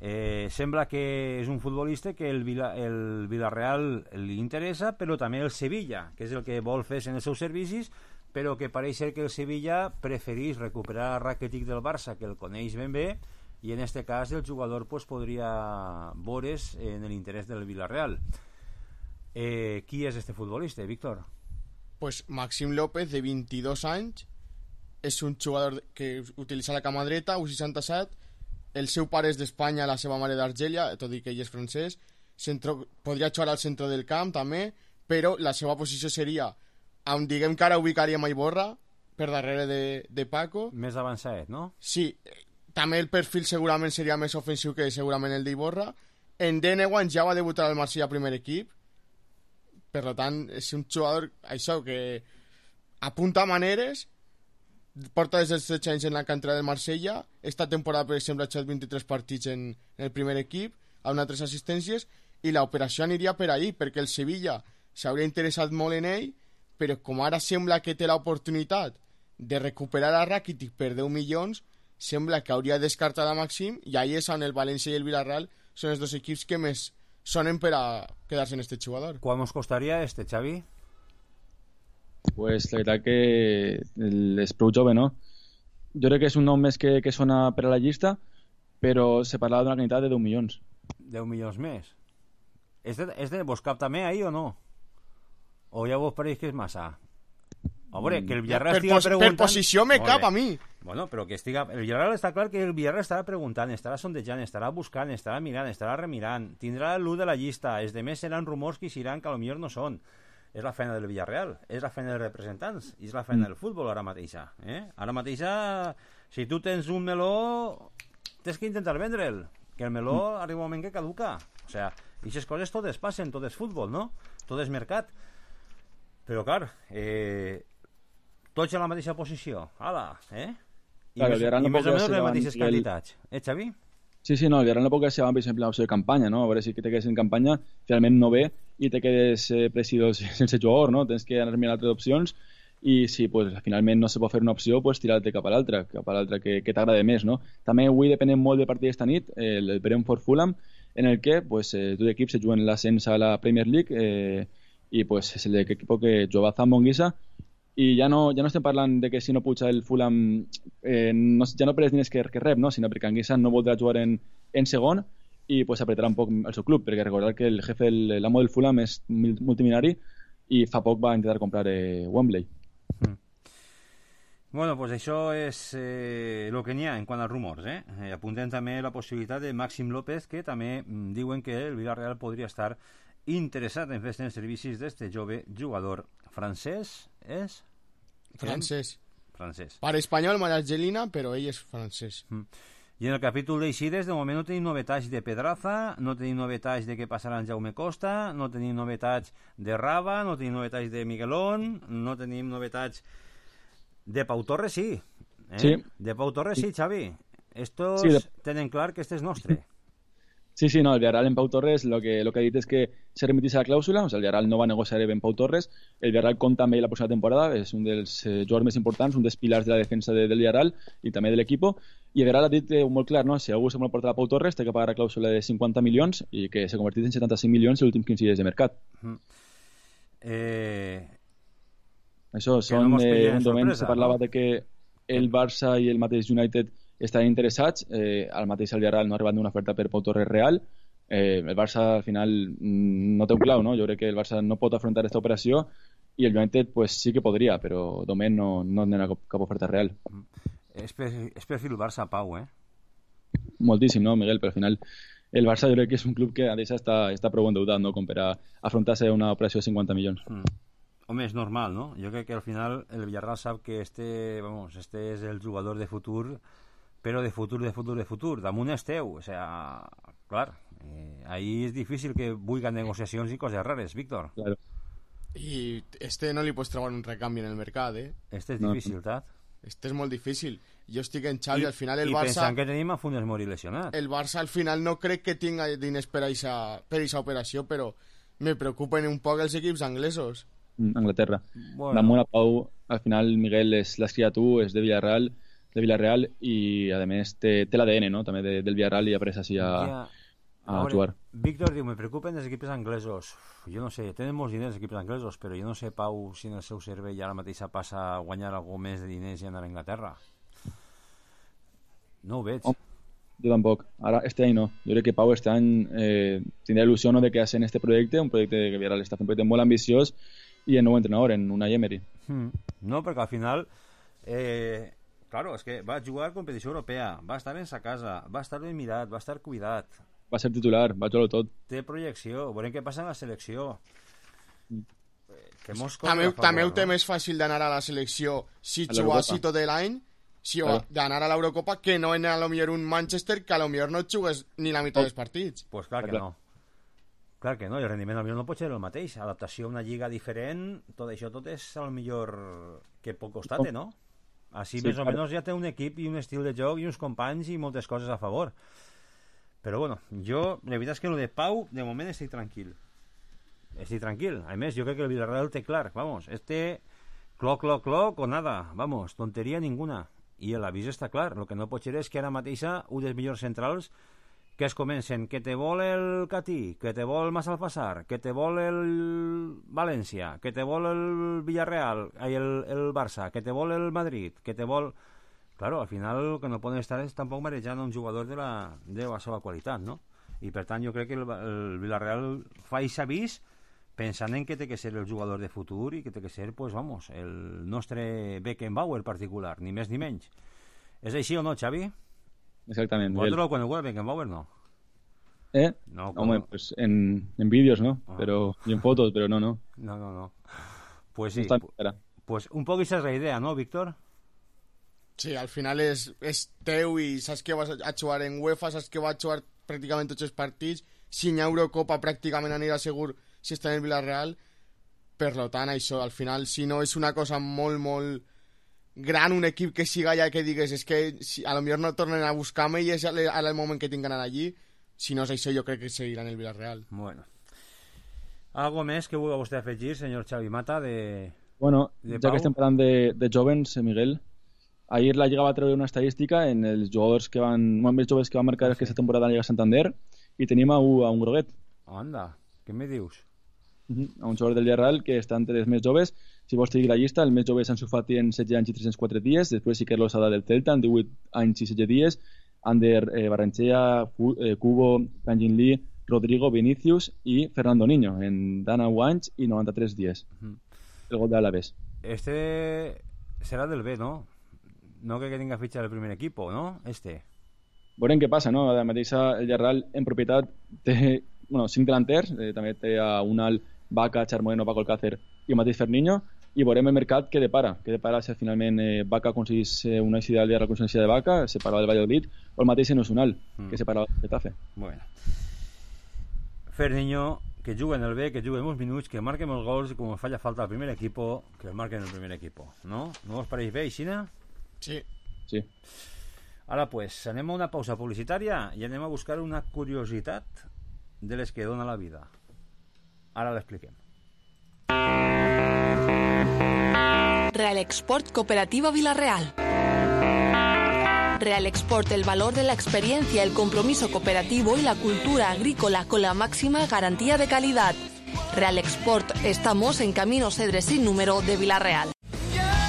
eh, sembla que és un futbolista que el, Vila, el Villarreal li interessa, però també el Sevilla, que és el que vol fer en els seus servicis, però que pareix ser que el Sevilla preferís recuperar a Rakitic del Barça, que el coneix ben bé, i en este cas el jugador pues, podria veure's en l'interès del Villarreal. Eh, qui és este futbolista, Víctor? Pues Maxim López, de vint-i-dos anys, és un jugador que utilitza la cama dreta, U seixanta-set, el seu pare és d'Espanya, la seva mare d'Argèlia, tot i que ell és francès, centro, podria jugar al centre del camp també, però la seva posició seria, on diguem que ara ubicaríem a Iborra, per darrere de, de Paco. Més avançat, no? Sí, també el perfil segurament seria més ofensiu que segurament el d'Iborra. En Denewan ja va debutar al Marsella primer equip, per tant és un jugador això que apunta maneres, porta des dels setze anys en la cantera del Marsella, esta temporada per exemple ha jugat vint-i-tres partits en, en el primer equip, ha donat tres assistències, i l'operació aniria per ahí, perquè el Sevilla s'hauria interessat molt en ell, però com ara sembla que té l'oportunitat de recuperar a Rakitic per deu milions, sembla que hauria descartat a Maxim, i ahí és on el València i el Villarreal són els dos equips que més sonen per a quedar-se en este jugador. ¿Cuál nos costaría este, Xavi? Pues la veritat que és prou jove, no? Jo crec que és un nom més que, que sona per a la llista, però se parlava d'una quantitat de deu milions. deu milions més? És de, és de vos cap també ahí o no? O ja vos pareix que és massa? A veure, que el Villarreal per, estiga pos, preguntant... per posició me cap a mi. Bueno, però que estiga... El Villarreal està clar que el Villarreal estarà preguntant, estarà sondejant, estarà buscant, estarà mirant, estarà remirant, tindrà l'u de la llista, els demés seran rumors que iran que potser no són. És la feina del Villarreal, és la feina dels representants, és la feina del futbol ara mateixa. Eh? Ara mateixa, si tu tens un meló, tens que intentar vendre'l, que el meló arriba un moment que caduca. O sea, aquestes coses totes passen, tot és futbol, no? Tot és mercat. Però, clar, eh, tots a la mateixa posició. Ala, eh? I claro, més, i més o menys les mateixes el... quantitats. Eh, Xavi? Sí, sí, no, el Villarreal no pot quedar, per exemple, l'opció de campanya, no? A veure si te quedes en campanya, finalment no ve i te quedes eh, presidós sense jugador, no? Tens que anar mirant altres opcions i si pues, finalment no se pot fer una opció, pues tirar-te cap a l'altra, cap a l'altra que, que t'agrada més, no? També avui depenem molt del partit d'esta nit, el, el Brentford Fulham, en el que pues, eh, dos equips se juguen l'ascens a la Premier League eh, i pues, és l'equip que juga Zambuanguisa i ja no, ja no estem parlant de que si no puja el Fulham eh, no, ja no per els diners que, que rep, no? Sinó perquè Anguissa no voldrà jugar en, en segon i pues, apretarà un poc el seu club, perquè recordar que el jefe, l'amo del Fulham és multimilionari i fa poc va intentar comprar eh, Wembley. Mm. Bueno, pues això és eh, el que n'hi ha en quant als rumors, eh? eh? Apuntem també la possibilitat de Màxim López, que també mm, diuen que el Villarreal podria estar interessat en fer els servicis d'este jove jugador francès, és? Francès. Francès. Per espanyol, Margelina, però ell és francès. Mm. I en el capítol d'eixides, de moment no tenim novetats de Pedraza, no tenim novetats de què passarà en Jaume Costa, no tenim novetats de Raba, no tenim novetats de Miguelón, no tenim novetats de Pau Torres, sí. Eh? Sí. De Pau Torres, sí, Xavi. Estos Sí, de... tenen clar que este és nostre. Sí, sí, no, el Villarreal en Pau Torres lo que, lo que ha dit és que se remitís a la clàusula, o sea, el Villarreal no va negociar en Pau Torres, el Villarreal compta amb ell la pròxima temporada, és un dels eh, jugadors més importants, un dels pilars de la defensa de, del Villarreal i també de l'equip, i el Villarreal ha dit eh, molt clar, no? Si algú se vol portar a Pau Torres té que pagar la clàusula de cinquanta milions i que s'ha convertit en setanta-cinc milions en els últims quinze dies de mercat. Mm. Eh... Això són, no eh, un moment se parlava no? de que el Barça i el mateix United estan interessats, eh, al mateix el Villarreal no ha arribat una oferta per Pau Torres real, eh, el Barça al final no té un clau, no? Jo crec que el Barça no pot afrontar aquesta operació i el United pues, sí que podria, però de moment no, no tenen cap, cap oferta real. És per, és per fi el Barça Pau, eh? Moltíssim, no, Miguel? Però al final el Barça jo crec que és un club que a deixa està, està prou endeutat, no? Com per a afrontar-se una operació de cinquanta milions. Mm. Home, és normal, no? Jo crec que al final el Villarreal sap que este, vamos, este és el jugador de futur, però de futur, de futur, de futur. Damunt és teu. O sea, clar, eh, ahí és difícil que vulguen negociacions i coses rares, Víctor. Claro. I este no li pots trobar un recanvi en el mercat, eh? Este és no. difícil, Tat. Este és molt difícil. Jo estic en Xavi, I, al final el i Barça... I pensant que tenim a Funes Mori lesionat. El Barça al final no crec que tinga diners per a aquesta operació, però me preocupen un poc els equips anglesos. Anglaterra. Bueno. Damunt a Pau, al final Miguel és l'has criat tu, és de Villarreal, de Villarreal i a més té, té l'A D N, no? També de, del Villarreal i après així a, ja. a veure, jugar. Víctor diu, me preocupen els equips anglesos. Jo no sé, tenen molts diners els equips anglesos, però jo no sé, Pau, si en el seu cervell ara mateixa passa a guanyar algú més de diners i anar a Anglaterra. No ho veig. Oh, jo tampoc. Ara, este any no. Jo crec que Pau este any eh, tindrà il·lusió no, de que hacen este projecte, un projecte que Villarreal està fent un projecte molt ambiciós y el nuevo entrenador en Unai Emery. Hmm. No, perquè al final eh, claro, és que va jugar competició europea, va estar en sa casa, va estar ben mirat, va estar cuidat, va ser titular, va jugar tot, té projecció, veurem què passa en la selecció. mm. que mos també, favor, també ho té no? més fàcil d'anar a la selecció si juguessi tot l'any, si claro. d'anar a l'Eurocopa, que no anar a lo millor un Manchester que a lo millor no jugues ni la meitat oh. dels partits. Pues clar que no. Clar que no, i el rendiment al millor no pot ser el mateix. Adaptació a una lliga diferent, tot això tot és al millor que pot costar-te, no? Així sí, més o clar. menys ja té un equip i un estil de joc i uns companys i moltes coses a favor. Però bueno, jo, la veritat és que el de Pau, de moment estic tranquil. Estic tranquil. A més, jo crec que el Villarreal té clar, vamos, este cloc, cloc, cloc o nada, vamos, tonteria ninguna. I l'avís està clar. El que no pot ser és que ara mateixa un dels millors centrals que es comencen, que te vol el Catí, que te vol Massalfassar, que te vol el València, que te vol el Villarreal, el, el Barça, que te vol el Madrid, que te vol... Claro, al final el que no poden estar és tampoc marejant un jugador de la, de la seva qualitat, no? I per tant jo crec que el, el Villarreal fa aquest avís pensant en que té que ser el jugador de futur i que té que ser, pues vamos, el nostre Beckenbauer particular, ni més ni menys. És així o no, Xavi? Exactament. Vosaltres quan el Beckenbauer no. ¿Eh? No, Home, no? Pues en, en vídeos, ¿no? Ah. Pero, y en fotos, pero no, no. No, no, no. Pues sí. No pues un poc esa és la idea, ¿no, Víctor? Sí, al final és, és teu i saps que vas a jugar en UEFA, saps que va a jugar pràcticament tots els partits, si hi ha Eurocopa pràcticament anirà segur si està en el Villarreal. Per tant, això, al final, si no és una cosa molt, molt gran, un equip que siga allà que digues és que si, a lo millor no tornen a buscar-me i és al moment que tinc d'anar allí. Si no és això, jo crec que seguirà en el Villarreal. Bueno. Algo més que vulgui vostè afegir, senyor Xavi Mata, de... Bueno, de ja que estem parlant de, de jovens, Miguel, ahir la Lliga va treure una estadística en els jugadors que van, més joves que van marcar aquesta temporada a la Lliga Santander i tenim a un, a un groguet. Anda, què me dius? Uh-huh. A un jugador del Villarreal que està entre els més joves. Si vols seguir la llista, el més jove és Ansu Fati en setze anys i tres-cents quatre dies, després Iker Losada del Celta en divuit anys i setze dies, Ander eh, Barrenechea, eh, Cubo, Kangin Lee, Rodrigo, Vinicius i Fernando Niño en dinou anys i noranta-tres dies. Uh-huh. El gol de Alavés. Este serà del B, no? no crec que tinga fitxa del primer equip, no? Este. Veurem què passa, no? La mateixa, el Villarreal en propietat té, bueno, cinc delanters, eh, també té a Unal, Vaca, Charmoreno, Paco Alcácer i el mateix Ferniño, i veurem el mercat què depara, què depara si finalment eh, Vaca aconseguís eh, una eixida de la consciència de Vaca, separada del Valladolid, o el mateix en Unal, mm. que separava del Getafe. Bueno. Ferniño, que juguen el bé, que juguen uns minuts, que marquen els gols, com falla falta al primer equip, que el marquen el primer equip, no? No us pareix bé, Ixina? Sí. Sí. Ara, pues, anem a una pausa publicitària i anem a buscar una curiositat de les que dona la vida. Ara l'expliquem. Real Export Cooperativa Villarreal. Real Export, el valor de la experiencia, el compromiso cooperativo y la cultura agrícola con la máxima garantía de calidad. Real Export, estamos en Camino Cedres sin número de Villarreal.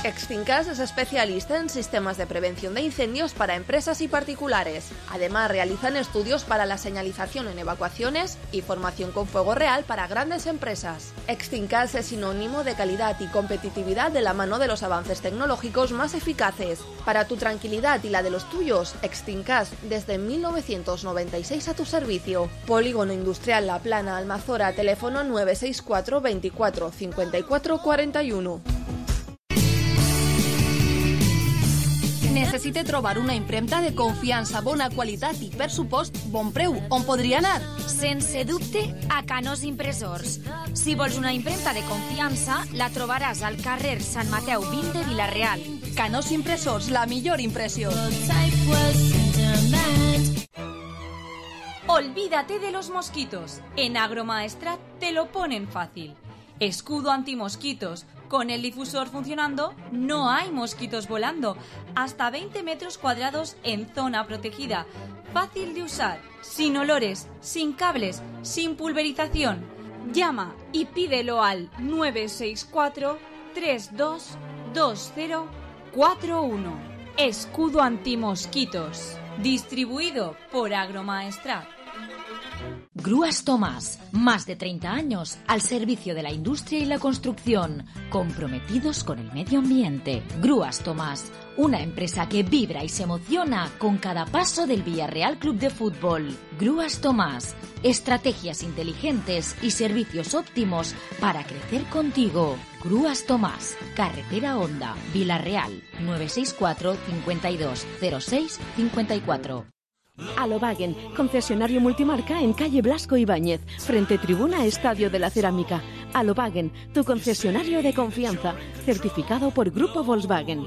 Extincas es especialista en sistemas de prevención de incendios para empresas y particulares. Además, realizan estudios para la señalización en evacuaciones y formación con fuego real para grandes empresas. Extincas es sinónimo de calidad y competitividad de la mano de los avances tecnológicos más eficaces. Para tu tranquilidad y la de los tuyos, Extincas desde mil novecientos noventa y seis a tu servicio. Polígono Industrial La Plana, Almazora, teléfono nueve seis cuatro veinticuatro cincuenta y cuatro cuarenta y uno. Necessite trobar una impremta de confiança, bona qualitat i, per supost, bon preu. On podria anar? Sense dubte, a Canós Impressors. Si vols una impremta de confiança, la trobaràs al carrer Sant Mateu vint de Vila-real. Canós Impressors, la millor impressió. Olvídate de los mosquitos. En Agromaestrat te lo ponen fácil. Escudo antimosquitos. Con el difusor funcionando, no hay mosquitos volando. Hasta veinte metros cuadrados en zona protegida. Fácil de usar, sin olores, sin cables, sin pulverización. Llama y pídelo al nueve seis cuatro tres dos dos cero cuatro uno. Escudo antimosquitos. Distribuido por Agromaestrat. Grúas Tomás, más de treinta años al servicio de la industria y la construcción, comprometidos con el medio ambiente. Grúas Tomás, una empresa que vibra y se emociona con cada paso del Villarreal Club de Fútbol. Grúas Tomás, estrategias inteligentes y servicios óptimos para crecer contigo. Grúas Tomás, carretera Honda, Villarreal, nueve seis cuatro cincuenta y dos cero seis cincuenta y cuatro. Alobagen, concesionario multimarca en calle Blasco Ibáñez, frente tribuna Estadio de la Cerámica. Alobagen, tu concesionario de confianza, certificado por Grupo Volkswagen.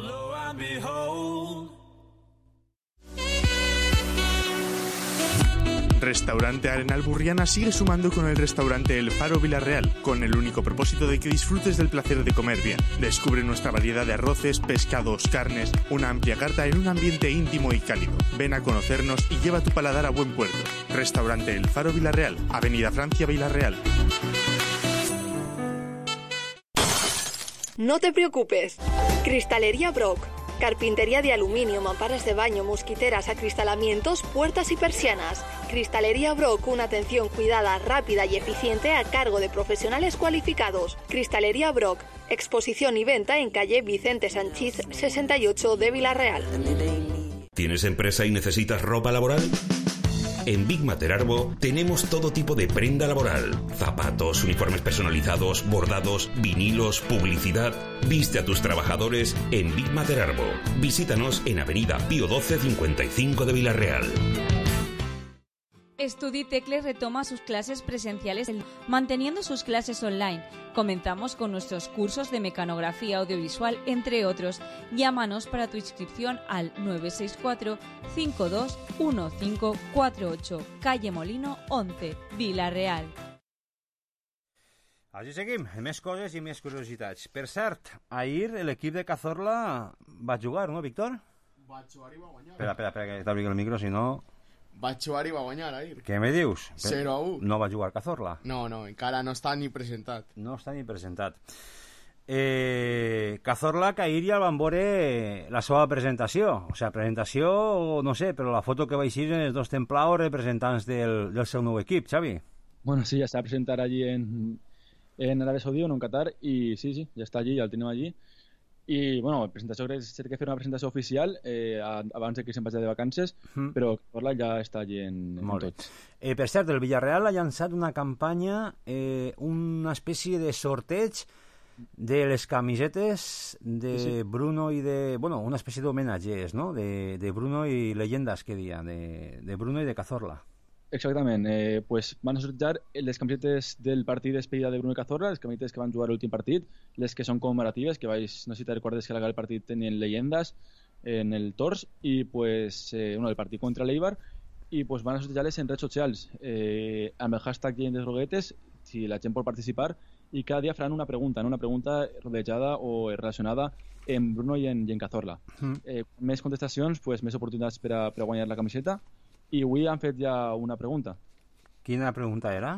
Restaurante Arenal Burriana sigue sumando con el restaurante El Faro Villarreal, con el único propósito de que disfrutes del placer de comer bien. Descubre nuestra variedad de arroces, pescados, carnes, una amplia carta en un ambiente íntimo y cálido. Ven a conocernos y lleva tu paladar a buen puerto. Restaurante El Faro Villarreal, Avenida Francia Villarreal. No te preocupes. Cristalería Brock. Carpintería de aluminio, mamparas de baño, mosquiteras, acristalamientos, puertas y persianas. Cristalería Brock, una atención cuidada, rápida y eficiente a cargo de profesionales cualificados. Cristalería Brock, exposición y venta en calle Vicente Sanchís sesenta y ocho de Vila-real. ¿Tienes empresa y necesitas ropa laboral? En Big Materarbo tenemos todo tipo de prenda laboral. Zapatos, uniformes personalizados, bordados, vinilos, publicidad. Viste a tus trabajadores en Big Materarbo. Visítanos en Avenida Pío doce cincuenta y cinco de Vila-real. StudiTecle retoma sus clases presenciales manteniendo sus clases online. Comenzamos con nuestros cursos de mecanografía audiovisual, entre otros. Llámanos para tu inscripción al nueve seis cuatro cinco dos uno cinco cuatro ocho, calle Molino once, Vila-real. Així seguim, més coses i més curiositats. Per cert, ahir l'equip de Cazorla va jugar, no, Víctor? Va jugar i va guanyar. Espera, espera, espera, que t'obri el micro, si no... Va jugar i va guanyar ahir. Què me dius? zero a u. No va jugar Cazorla? No, no, encara no està ni presentat. No està ni presentat. Eh, Cazorla, que ahir ja el van veure la seva presentació. O sigui, presentació, no sé, però la foto que va eixir en els dos templaos representants del, del seu nou equip, Xavi. Bueno, sí, ya se va a presentar allí en, en Arabia Saudí o en Qatar y sí, sí, ya está allí, ya lo tenemos allí. I, bueno, la presentació crec que que fer una presentació oficial eh, abans de que se'n vagi de vacances, mm. però Cazorla ja està allí en, en tots. Eh, per cert, el Villarreal ha llançat una campanya, eh, una espècie de sorteig de les camisetes de sí, sí. Bruno i de... Bueno, una espècie d'homenatges, no? De, de Bruno i leyendas, que dia, de, de Bruno i de Cazorla. Exactament, eh, pues van a sortejar les camisetes del partit despedida de Bruno i Cazorla, les camisetes que van jugar l'últim partit, les que són commemoratives, que vais, no sé si te recordes que al partit tenien leyendas en el tors, i pues, eh, bueno, el partit contra l'Eibar, i pues van a sortejar-les en redes socials, eh, amb el hashtag Llegendes Groguetes, si la gent pot participar, i cada dia faran una pregunta, no? Una pregunta rodejada o relacionada en Bruno i en, i en Cazorla. Mm. Eh, més contestacions, pues, més oportunitats per a, per a guanyar la camiseta. I avui han fet ja una pregunta. Quina pregunta era?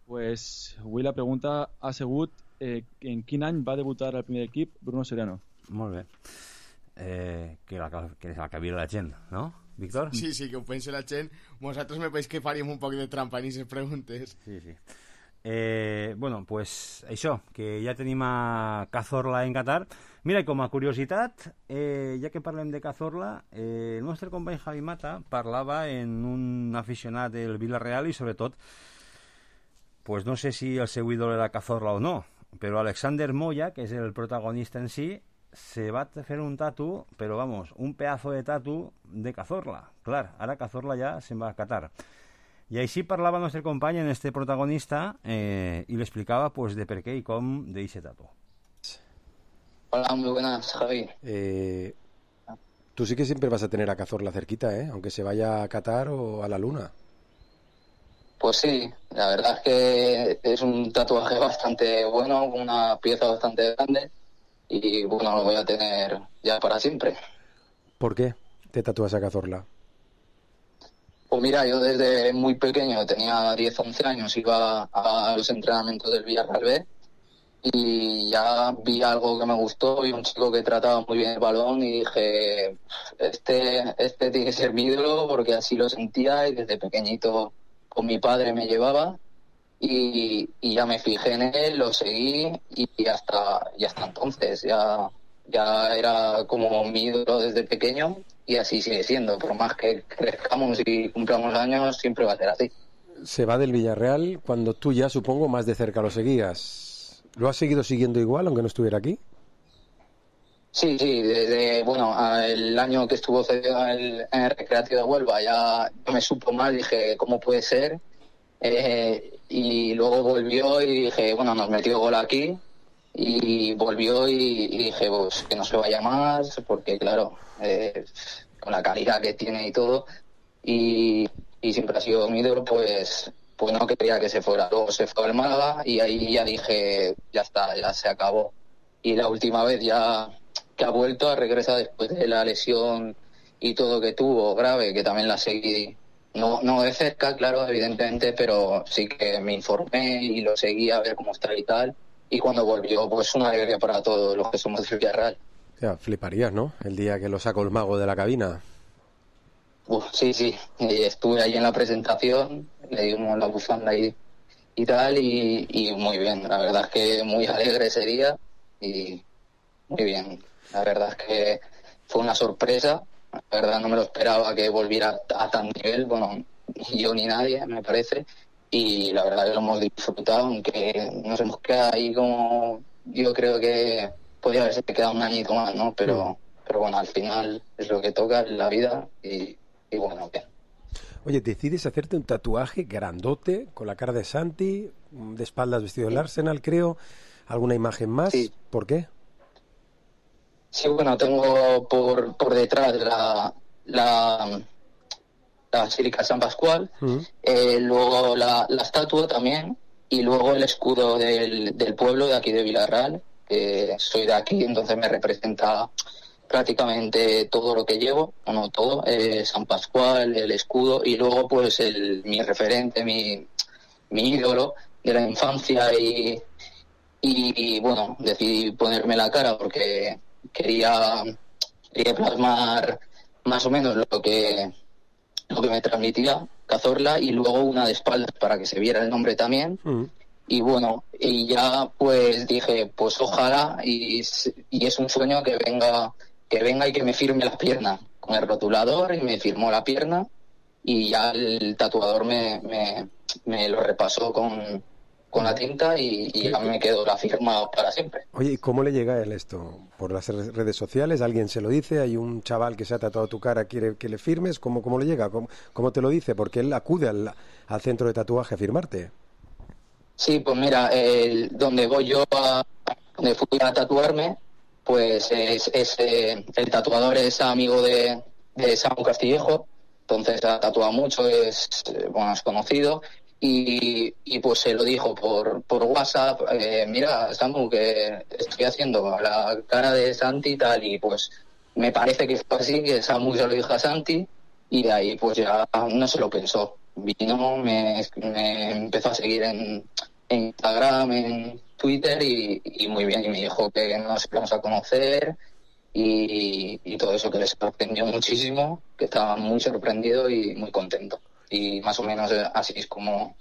Pues avui la pregunta ha sigut eh, en quin any va debutar al primer equip Bruno Soriano. Molt bé. Eh, que, la, que la que la gent, no, Víctor? Sí, sí, que ho pensi la gent. Vosaltres me pareix que faríem un poc de trampa en aquestes preguntes. Sí, sí. Eh, bueno, pues això, que ja tenim a Cazorla en Qatar. Mira, com a curiositat, eh, ja que parlem de Cazorla, eh, el nostre company Javi Mata parlava en un aficionat del Villarreal i sobretot, pues no sé si el seu ídol era Cazorla o no, però Alexander Moya, que és el protagonista en si, se va fer un tatu, però vamos, un pedazo de tatu de Cazorla. Clar, ara Cazorla ja se'n va a Qatar. I així parlava el nostre company en este protagonista eh, i le explicava pues, de per què i com de ese tatu. Hola, muy buenas, Javi. Eh, tú sí que siempre vas a tener a Cazorla cerquita, ¿eh? Aunque se vaya a Qatar o a la Luna. Pues sí, la verdad es que es un tatuaje bastante bueno, con una pieza bastante grande y bueno, lo voy a tener ya para siempre. ¿Por qué te tatúas a Cazorla? Pues mira, yo desde muy pequeño, tenía diez, once años, iba a los entrenamientos del Villarreal B y ya vi algo que me gustó, vi un chico que trataba muy bien el balón y dije, este, este tiene que ser mi ídolo porque así lo sentía y desde pequeñito con mi padre me llevaba y, y ya me fijé en él, lo seguí y hasta, y hasta entonces ya, ya era como mi ídolo desde pequeño. Y así sigue siendo, por más que crezcamos y cumplamos años, siempre va a ser así. Se va del Villarreal cuando tú ya, supongo, más de cerca lo seguías. ¿Lo has seguido siguiendo igual, aunque no estuviera aquí? Sí, sí, desde, bueno, el año que estuvo cedido en el, en el Recreativo de Huelva ya me supo mal, dije, ¿cómo puede ser? Eh, y luego volvió y dije, bueno, nos metió gol aquí. Y volvió y, y dije, pues que no se vaya más, porque claro, eh, con la calidad que tiene y todo, y, y siempre ha sido mi ídolo, pues, pues no quería que se fuera. Luego se fue al Málaga y ahí ya dije, ya está, ya se acabó. Y la última vez ya que ha vuelto, a regresar después de la lesión y todo que tuvo grave, que también la seguí, no, no de cerca, claro, evidentemente, pero sí que me informé y lo seguí a ver cómo está y tal. Y cuando volvió, pues una alegría para todos los que somos del Villarreal. Ya, fliparías, ¿no? El día que lo sacó el mago de la cabina. Uf, sí, sí. Estuve ahí en la presentación, le dimos la bufanda y, y tal, y, y muy bien. La verdad es que muy alegre ese día y muy bien. La verdad es que fue una sorpresa. La verdad no me lo esperaba que volviera a tan nivel. Bueno, ni yo ni nadie, me parece. Y la verdad que lo hemos disfrutado, aunque nos hemos quedado ahí como... Yo creo que podría haberse quedado un añito más, ¿no? Pero, mm. pero bueno, al final es lo que toca en la vida y, y bueno, bien. Oye, decides hacerte un tatuaje grandote, con la cara de Santi, de espaldas vestido del Arsenal, creo. ¿Alguna imagen más? Sí. ¿Por qué? Sí, bueno, tengo por, por detrás la... la la Basílica San Pascual, uh-huh. eh, luego la, la estatua también, y luego el escudo del, del pueblo de aquí de Villarreal, que soy de aquí, entonces me representa prácticamente todo lo que llevo, o no todo, eh, San Pascual, el escudo, y luego pues el, mi referente, mi, mi ídolo de la infancia, y, y, y bueno, decidí ponerme la cara porque quería, quería plasmar más o menos lo que lo que me transmitía Cazorla y luego una de espaldas para que se viera el nombre también mm. y bueno, y ya pues dije, pues ojalá, y, y es un sueño que venga, que venga y que me firme las piernas con el rotulador, y me firmó la pierna, y ya el tatuador me, me, me lo repasó con, con la tinta y, y ya me quedó la firma para siempre. Oye, ¿y cómo le llega a él esto? ¿Por las redes sociales? ¿Alguien se lo dice? ¿Hay un chaval que se ha tatuado tu cara, quiere que le firmes? ¿Cómo, cómo le llega? ¿Cómo, cómo te lo dice? Porque él acude al, al centro de tatuaje a firmarte. Sí, pues mira, el, donde voy yo, a, donde fui a tatuarme, pues es, es eh, el tatuador es amigo de, de Samu Castillejo, entonces ha tatuado mucho, es, bueno, es conocido. Y, y pues se lo dijo por, por WhatsApp, eh, mira, Samu, que estoy haciendo la cara de Santi y tal, y pues me parece que fue así, que Samu se lo dijo a Santi, y de ahí pues ya no se lo pensó. Vino, me, me empezó a seguir en, en Instagram, en Twitter, y, y muy bien, y me dijo que nos íbamos a conocer, y, y todo eso, que les sorprendió muchísimo, que estaba muy sorprendido y muy contento. Y más o menos así es como,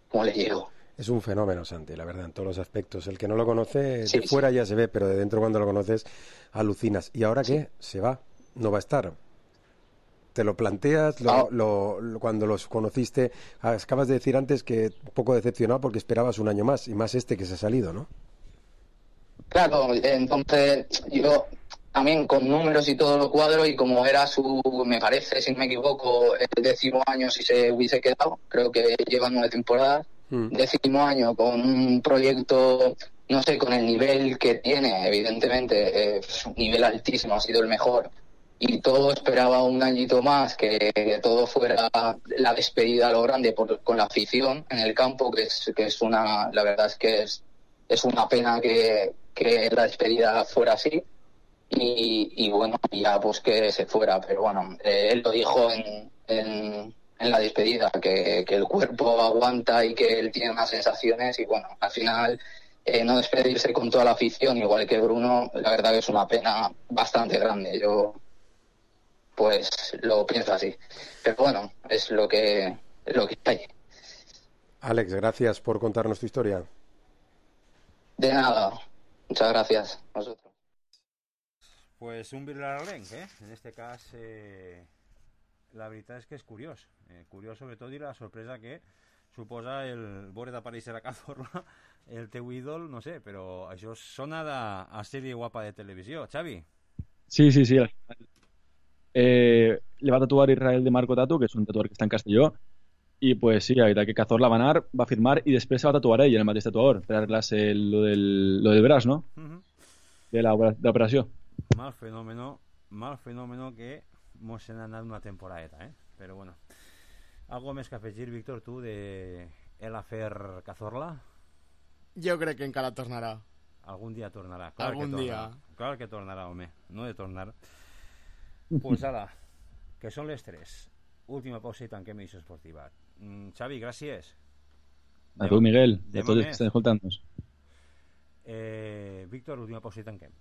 como le llego. Es un fenómeno, Santi, la verdad, en todos los aspectos. El que no lo conoce, sí, de fuera sí. ya se ve, pero de dentro cuando lo conoces, alucinas. ¿Y ahora sí. qué? Se va, no va a estar. ¿Te lo planteas? Lo, ah. lo, lo, cuando los conociste, acabas de decir antes que un poco decepcionado porque esperabas un año más, y más este que se ha salido, ¿no? Claro, entonces yo... También con números y todo lo cuadro, y como era su, me parece, si no me equivoco, el décimo año si se hubiese quedado, creo que lleva nueve temporadas, mm. décimo año con un proyecto, no sé, con el nivel que tiene, evidentemente, eh, un nivel altísimo, ha sido el mejor, y todo esperaba un añito más, que, que todo fuera la despedida a lo grande por, con la afición en el campo, que es, que es una, la verdad es que es, es una pena que, que la despedida fuera así. Y, y bueno, ya pues que se fuera, pero bueno, eh, él lo dijo en, en, en la despedida, que, que el cuerpo aguanta y que él tiene unas sensaciones, y bueno, al final eh, no despedirse con toda la afición, igual que Bruno, la verdad que es una pena bastante grande. Yo pues lo pienso así, pero bueno, es lo que, es lo que hay. Alex, gracias por contarnos tu historia. De nada, muchas gracias a vosotros. Pues un birlarrenc, eh? En este cas, eh, la veritat és que és curiós. Eh, curiós sobretot i la sorpresa que suposa el veure d'aparèixer a Cazorla, el teu ídol, no sé, però això sona de, a sèrie guapa de televisió. Xavi? Sí, sí, sí. Eh, le va a tatuar Israel de Marco Tatu, que és un tatuador que està en Castelló, i pues sí, la veritat que Cazorla va anar, va firmar i després se va tatuar ell, el mateix tatuador, per arreglar-se lo del, lo del braç, ¿no? Uh-huh. De la de l'operació. Mal fenómeno, mal fenómeno que mos han anat una temporadeta, ¿eh? Pero bueno. ¿Algo més que afegir, Víctor, tu, de el afer Cazorla? Jo crec que encara tornarà. Algun dia tornarà. Clar Algun que dia. Tornarà. Clar que tornarà, home. No de tornar. Pues ara, que són les tres. Última pausa i tanquem Edició Esportiva. Mm, Xavi, gràcies. A tu, Miguel, i a tots que estan escoltant-nos. Eh, Víctor, última pausa i tanquem.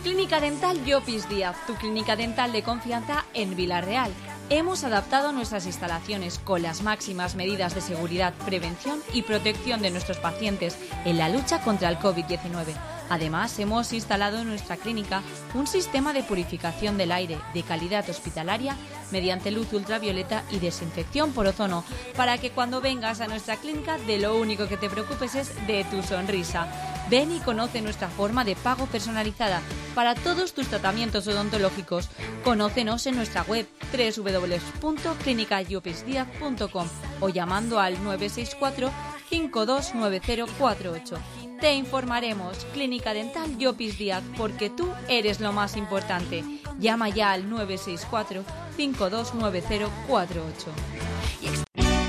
Clínica Dental Llopis Díaz, tu clínica dental de confianza en Villarreal. Hemos adaptado nuestras instalaciones con las máximas medidas de seguridad, prevención y protección de nuestros pacientes en la lucha contra el COVID diecinueve. Además, hemos instalado en nuestra clínica un sistema de purificación del aire de calidad hospitalaria mediante luz ultravioleta y desinfección por ozono, para que cuando vengas a nuestra clínica de lo único que te preocupes es de tu sonrisa. Ven y conoce nuestra forma de pago personalizada para todos tus tratamientos odontológicos. Conócenos en nuestra web doble u doble u doble u punto clínica llopis díaz punto com o llamando al nueve seis cuatro, cinco dos nueve cero cuatro ocho. Te informaremos. Clínica Dental Llopis Díaz, porque tú eres lo más importante. Llama ya al nueve seis cuatro, cinco dos nueve cero cuatro ocho.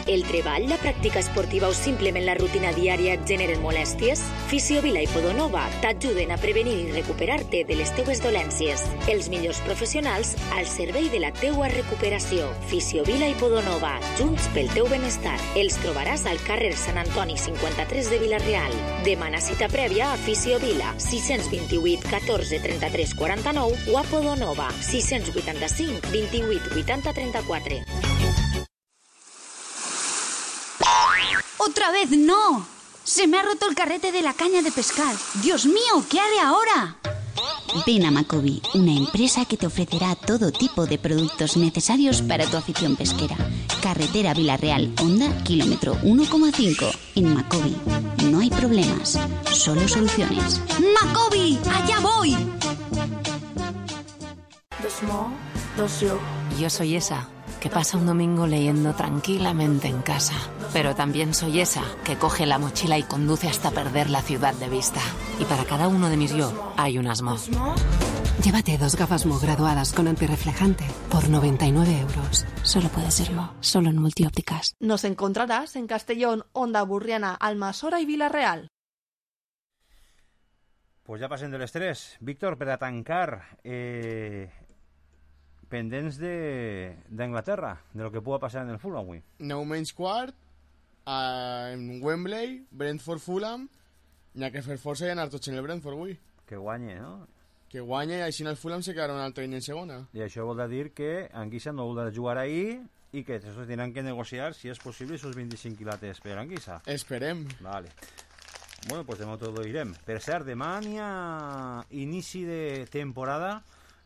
El treball, la pràctica esportiva o simplement la rutina diària et generen molèsties? Fisiovila i Podonova t'ajuden a prevenir i recuperar-te de les teues dolències. Els millors professionals al servei de la teua recuperació. Fisiovila i Podonova, junts pel teu benestar. Els trobaràs al carrer Sant Antoni cinquanta-tres de Vila-real. Demana cita prèvia a Fisiovila, sis dos vuit, catorze, trenta-tres, quaranta-nou o a Podonova, sis vuitanta-cinc, vint-i-vuit, vuitanta, trenta-quatre. ¡Otra vez no! Se me ha roto el carrete de la caña de pescar. ¡Dios mío! ¿Qué haré ahora? Ven a Macobi, una empresa que te ofrecerá todo tipo de productos necesarios para tu afición pesquera. Carretera Vilarreal, Honda, kilómetro uno coma cinco. En Macobi no hay problemas, solo soluciones. ¡Macobi! ¡Allá voy! Yo soy esa que pasa un domingo leyendo tranquilamente en casa. Pero también soy esa que coge la mochila y conduce hasta perder la ciudad de vista. Y para cada uno de mis yo hay un Asmo. Llévate dos gafas Mo graduadas con antirreflejante por noventa y nueve euros. Solo puede serlo, solo en Multiópticas. Nos encontrarás en Castellón, Onda Burriana, Almassora y Vila-real. Pues ja passem de les tres. Víctor, per a tancar, eh, pendents d'Anglaterra, de, de lo que pugui passar en el Fulham avui. Nou menys quart, a, en Wembley, Brentford-Fulham, n'hi ha que fer força i anar tots en el Brentford avui. Que guanye, no? Que guanya i així en el Fulham se quedarà un altre any en segona. I això vol dir que Anguissa no vol jugar ahir i que això tindran que negociar, si és possible, sus vint-i-cinc quilates per Anguissa. Esperem. Vale. Bueno, pues demà tot ho direm. Per cert, demà n'hi ha inici de temporada,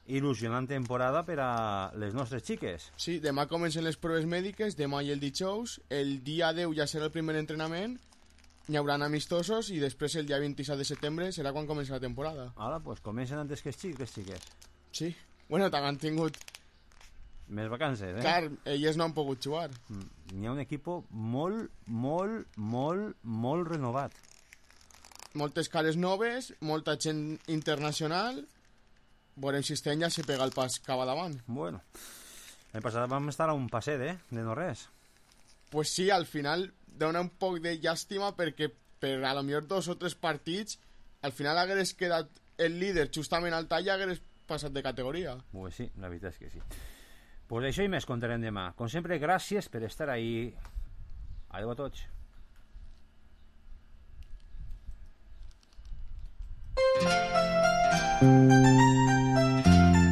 il·lusionant temporada per a les nostres xiques. Sí, demà comencen les proves mèdiques, demà i el dijous, el dia deu ja serà el primer entrenament, n'hi haurà amistosos i després el dia vint-i-set de setembre serà quan comença la temporada. Ara, pues comencen antes que els xics, les xiques. Sí, bueno, també han tingut més vacances, eh? Clar, elles no han pogut jugar. Mm. N'hi ha un equip molt, molt, molt, molt renovat. Moltes cares noves, molta gent internacional. Veurem si este any ja se pega el pas cap a davant. Bueno, l'any passat vam estar a un passet, eh? De no res. Pues sí, al final dona un poc de llàstima perquè per a lo millor dos o tres partits al final hagués quedat el líder justament al tall i hagués passat de categoria. Pues sí, la veritat és que sí. Pues això i més contarem demà. Com sempre, gràcies per estar ahí. Adéu a tots. Thank you.